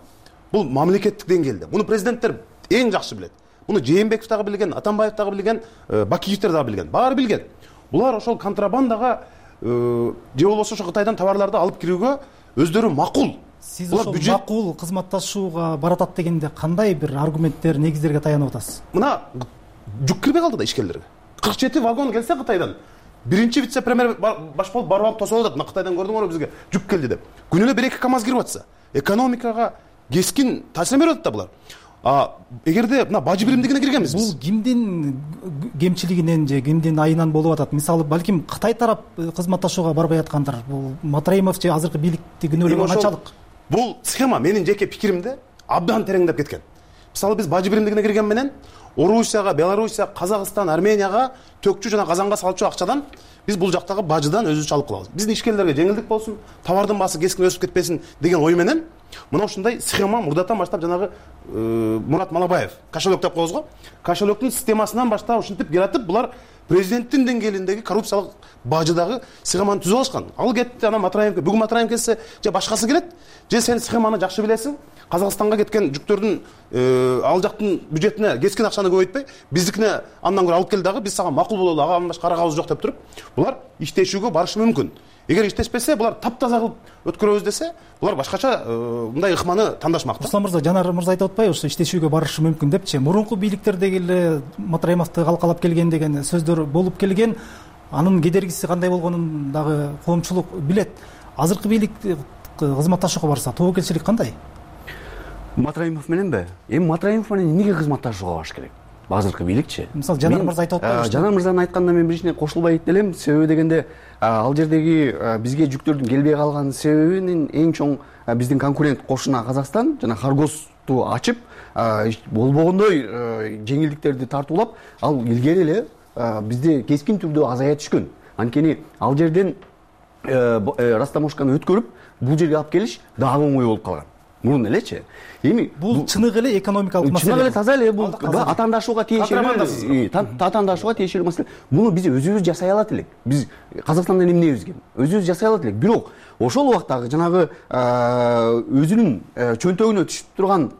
Speaker 16: бул мамлекеттик деңгээлде. Муну президенттер эң жакшы билет. Муну Жээнбеков дагы билген, Атамбаев дагы билген, Бакиевтер дагы билген. Баары билген. Булар ошол контрабандага же болбосо ошо Кытайдан товарларды алып кирүүгө өздөрү макул.
Speaker 3: Сиз ошол макул кызматташууга баратат дегенде кандай бир аргументтер, негиздерге таянып атасыз?
Speaker 16: Мына жүк кирбей калды да ишкерлерге. 47 вагон келсе Кытайдан. Биринчи вице-премьер баш болуп барып алып тосуп атат. Мына Кытайдан көрдүңөрбү бизге жүк келди деп. Күнүнө 1-2 КАМАЗ кирип атса, экономикага кескин таасир берип атат да булар. Эгерде мына бажы биримдигине киргенбиз биз.
Speaker 3: Бул кимдин кемчилигинен же кимдин айынан болуп атат? Мисалы, балким Кытай тарап кызматташууга барбай аткандыр. Бул Матраимов же азыркы бийликти күнөөлөгөн канчалык?
Speaker 16: Бул схема менин жеке пикиримде абдан тереңдеп кеткен. Мисалы, биз бажы биримдигине кирген менен Орусияга, Белоруссия, Казакстан, Арменияга төкчү жана казанга салчу акчадан биз бул жактагы бажыдан өзүбүз алып калабыз. Биздин ишкерлерге жеңилдик болсун, товардын баасы кескин өсүп кетпесин деген ой менен мына ушундай схема мурдатан баштап жанагы Мурат Малабаев кошелек деп коебуз го. Кошелектин системасынан баштап ушинтип жаратып, булар президенттин деңгээлиндеги коррупциялык бажыдагы схеманы түзүп алышкан. Ал кетти, анан Матраимовке, бүгүн Матраимов келсе, же башкасы келет, же сен схеманы жакшы билесиң, Казакстанга кеткен жүктөрдүн ал жактын бюджетине кескин акчаны көбөйтпөй, биздикине андан көрө алып кел дагы, биз сага макул бололу, ага башка карагыбыз жок деп туруп, булар иштешүүгө барышы мүмкүн. Эгер иштешпесе, булар таптаза кылып өткөрөбүз десе, булар башкача мындай ыкманы тандашмак.
Speaker 3: Руслан мырза, Жанар мырза айтып атпайбы, ошо иштешүүгө барышы мүмкүн депчи. Мурунку бийликтердеги эле Матраимовду калкалап келген деген сөздөр болуп келген. Анын кедергиси кандай болгонун дагы коомчулук билет. Азыркы бийлик кызматташууга барса тобокелчилик кандай?
Speaker 17: Матраимов мененби? Эми Матраимов менен эмнеге кызматташууга барыш керек? Азыркы бийликчи.
Speaker 3: Мисалы Жанар мырза айтып атпайбы?
Speaker 17: Жанар мырзанын айтканына мен биричине кошулбай элем. Себеби дегенде ал жердеги бизге жүктөрдүн келбей калган себебинин эң чоң биздин конкурент кошуна Казакстан жана Харгосту ачып болбогондой жеңилдиктерди тартуулап, ал илгери эле бизде кескин түрдө азая түшкөн. Анткени ал жерден растаможканы өткөрүп, бул жерге алып келиш дагы оңой болуп калган. Мурун элечи. Эми
Speaker 3: бул чыныгы эле экономикалык маселе.
Speaker 17: Чыныгы эле таза эле бул атаандашууга тиешелүү маселе. Муну биз өзүбүз жасай алат элек. Биз Казакстандан эмнебизге? Өзүбүз жасай алат элек. Бирок ошол убактагы жанагы өзүнүн чөнтөгүнө түшүп турган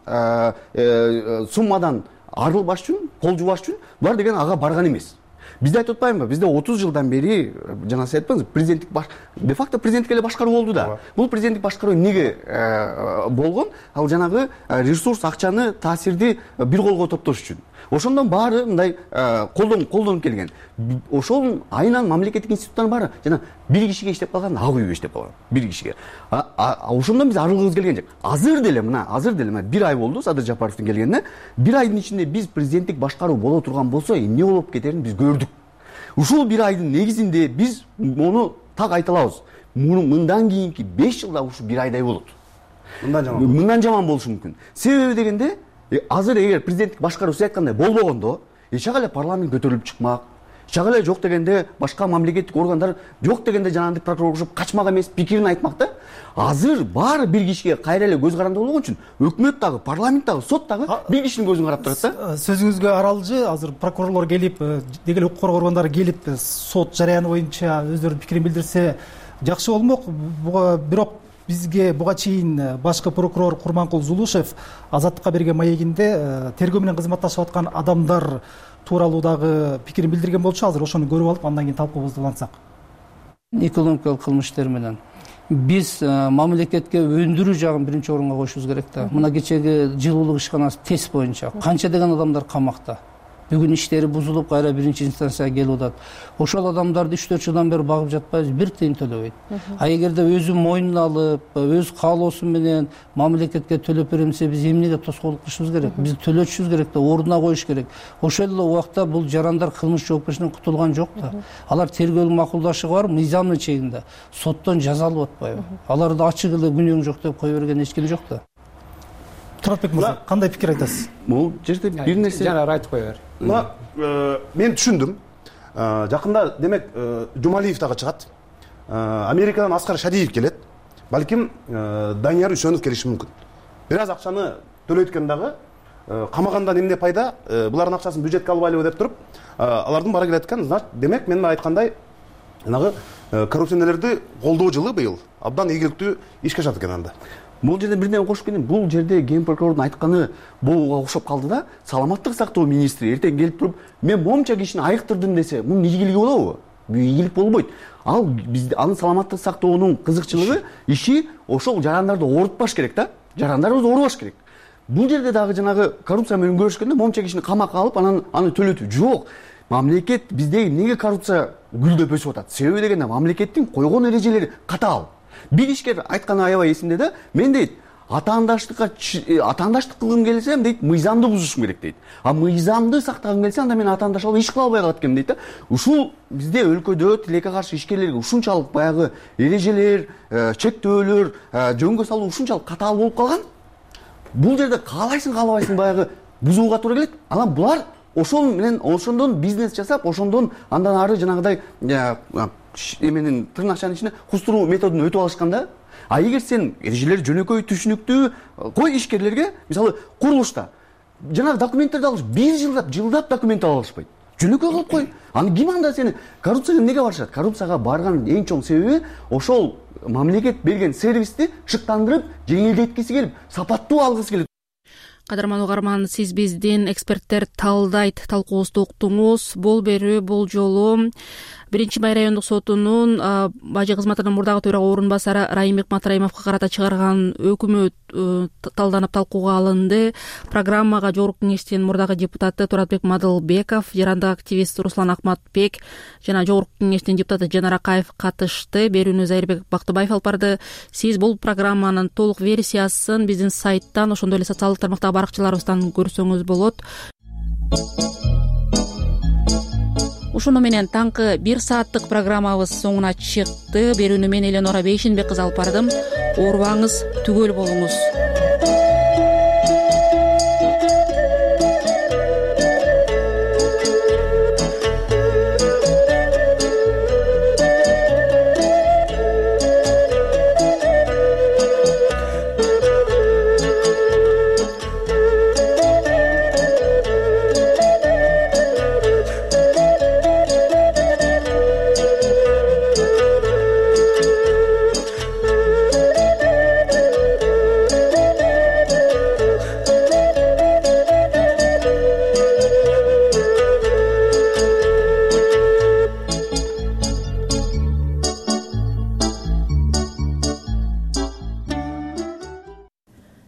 Speaker 17: суммадан арылбаш үчүн, кол жубаш үчүн булар деген ага барган эмес. Бизде айтып атпаймынбы? Бизде 30 жылдан бери жана сиз айтпаңыз, президенттик де факто президенттик эле башкаруу болду да. Бул президенттик башкаруу эмнеге болгон? Ал жанагы ресурс, акчаны, таасирди бир колго топтош үчүн. Ошондон баары мындай колдонуп келген. Ошол айынан мамлекеттик институттар баары жана бир кишиге иштеп калган, ак үйгө иштеп калган. Бир кишиге. Ошондон биз арылгыбыз келген жок. Азыр деле мына бир ай болду Садыр Жапаровдун келгенине. Бир айдын ичинде биз президенттик башкаруу боло турган болсо, эмне болуп кетерин биз көрдүк. Ушул бир айдын негизинде биз мону так айта алабыз. Мындан кийинки 5 жылда ушу бир айдай болот. Мындан жаман болушу мүмкүн. Себеби дегенде азыр эгер президенттик башкаруу сиз айткандай болбогондо, чак эле парламент көтөрүлүп чыкмак. Чак эле жок дегенде башка мамлекеттик органдар жок дегенде жанагындай прокурор кошуп качмак эмес пикирин айтмак да. Азыр баары бир кишиге кайра эле көз каранды болгон үчүн өкмөт дагы, парламент дагы, сот дагы бир кишинин көзүн карап турат да.
Speaker 3: Сөзүңүзгө аралжы, азыр прокурорлор келип, деги эле укук коргоо органдары келип, сот жараяны боюнча өздөрүнүн пикирин билдирсе жакшы болмок. Бирок бизге буга чейин башкы прокурор Курманкул Зулушев Азаттыкка берген маегинде тергөө менен кызматташып аткан адамдар тууралуу дагы пикирин билдирген болчу. Азыр ошону көрүп алып, андан кийин талкуубузду улантсак.
Speaker 5: Экономикалык кылмыш иштери менен биз мамлекетке өндүрүү жагын биринчи орунга коюшубуз керек да. Мына кечеги жылуулук ишканасы тест боюнча канча деген адамдар камакта. Бүгүн иштери бузулуп, кайра биринчи инстанцияга келип атат. Ошол адамдарды 3-4 жылдан бери багып жатпайбыз, бир тыйын төлөбөйт. А эгерде өзү мойнуна алып, өз каалоосу менен мамлекетке төлөп берем десе, биз эмнеге тоскоолдук кылышыбыз керек? Биз төлөтүшүбүз керек да, ордуна коюш керек. Ошол эле убакта бул жарандар кылмыш жоопкерчиликтен кутулган жок да. Алар тергөөлүк макулдашы бар, мыйзамдын чегинде. Соттон жазалып атпайбы? Аларды ачык эле күнөөң жок деп кое берген эч ким жок да.
Speaker 3: Туратбек мырза, кандай пикир айтасыз?
Speaker 17: Бул жерде бир нерсе
Speaker 15: Жанар айтып кое бер.
Speaker 16: Мен түшүндүм. Жакында демек Жумалиев дагы чыгат. Америкадан Аскар Шадиев келет. Балким Данияр Үсөнов келиши мүмкүн. Бир аз акчаны төлөйт экен дагы. Камагандан эмне пайда? Булардын акчасын бюджетке албайлыбы деп туруп, алардын бара келет экен. Демек мен айткандай, жанагы коррупционерлерди колдоо жылы быйыл абдан ийгиликтүү ишке ашат экен анда.
Speaker 17: Бул жерде бирден кошуп кетейин. Бул жерде ген прокурордун айтканы буга окшоп калды да. Саламаттык сактоо министри эртең келип туруп, мен момча кишини айыктырдым десе, мунун ийгилиги болобу? Бул ийгилик болбойт. Ал бизде анын саламаттык сактоонун кызыкчылыгы, иши ошол жарандарды оорутпаш керек да. Жарандарыбызды оорубаш керек. Бул жерде дагы жанагы коррупция менен көрүшкөндө момча кишини камакка алып, анан аны төлөтүү жок. Мамлекет бизде эмнеге коррупция гүлдөп өсүп атат? Себеби дегенде мамлекеттин койгон эрежелери катаал. Бир ишкер айтканы аябай эсимде да. Мен дейт, атаандаштык кылгым келсем дейт, мыйзамды бузушум керек дейт. А мыйзамды сактагым келсе, анда мен атаандаш алып иш кыла албай калат экенмин дейт да. Ушул бизде өлкөдө тилекке каршы ишкерлерге ушунчалык баягы эрежелер, чектөөлөр, жөнгө салуу ушунчалык катаал болуп калган. Бул жерде каалайсың, каалабайсың баягы бузууга туура келет. Анан булар ошол менен ошондон бизнес жасап, ошондон андан ары жанагыдай эменин тырнакчанын ичине кустуруу методун өтүп алышканда. А эгер сен эрежелер жөнөкөй түшүнүктүү кой ишкерлерге, мисалы курулушта жанагы документтерди алыш, бир жылдап документ ала алышпайт. Жөнөкөй кылып кой. Аны ким анда сени коррупцияга эмнеге барышат? Коррупцияга барган эң чоң себеби ошол мамлекет берген сервисти шыктандырып, жеңилдеткиси келип, сапаттуу алгысы келет.
Speaker 1: Кадырман угарман, сиз биздин эксперттер талдайт талкуубузду уктуңуз. Бул берүү бул жолу Биринчи Бай райондук сотунун бажы кызматынын мурдагы төрага орун басары Райымбек Матраимовго карата чыгарган өкмөт талданып талкууга алынды. Программага жогорку кеңештин мурдагы депутаты Туратбек Мадылбеков, жарандык активист Руслан Акматбек жана жогорку кеңештин депутаты Жанар Акаев катышты. Берүүнү Зайырбек Бактыбаев алып барды. Сиз бул программанын толук версиясын биздин сайттан, ошондой эле социалдык тармактагы баракчаларыбыздан көрсөңүз болот. Ушуну менен таңкы 1 сааттык программабыз соңуна чыкты. Берүүнү мен Эленора Бейшенбек кызы алып бардым. Оорубаңыз, түгөл болуңуз.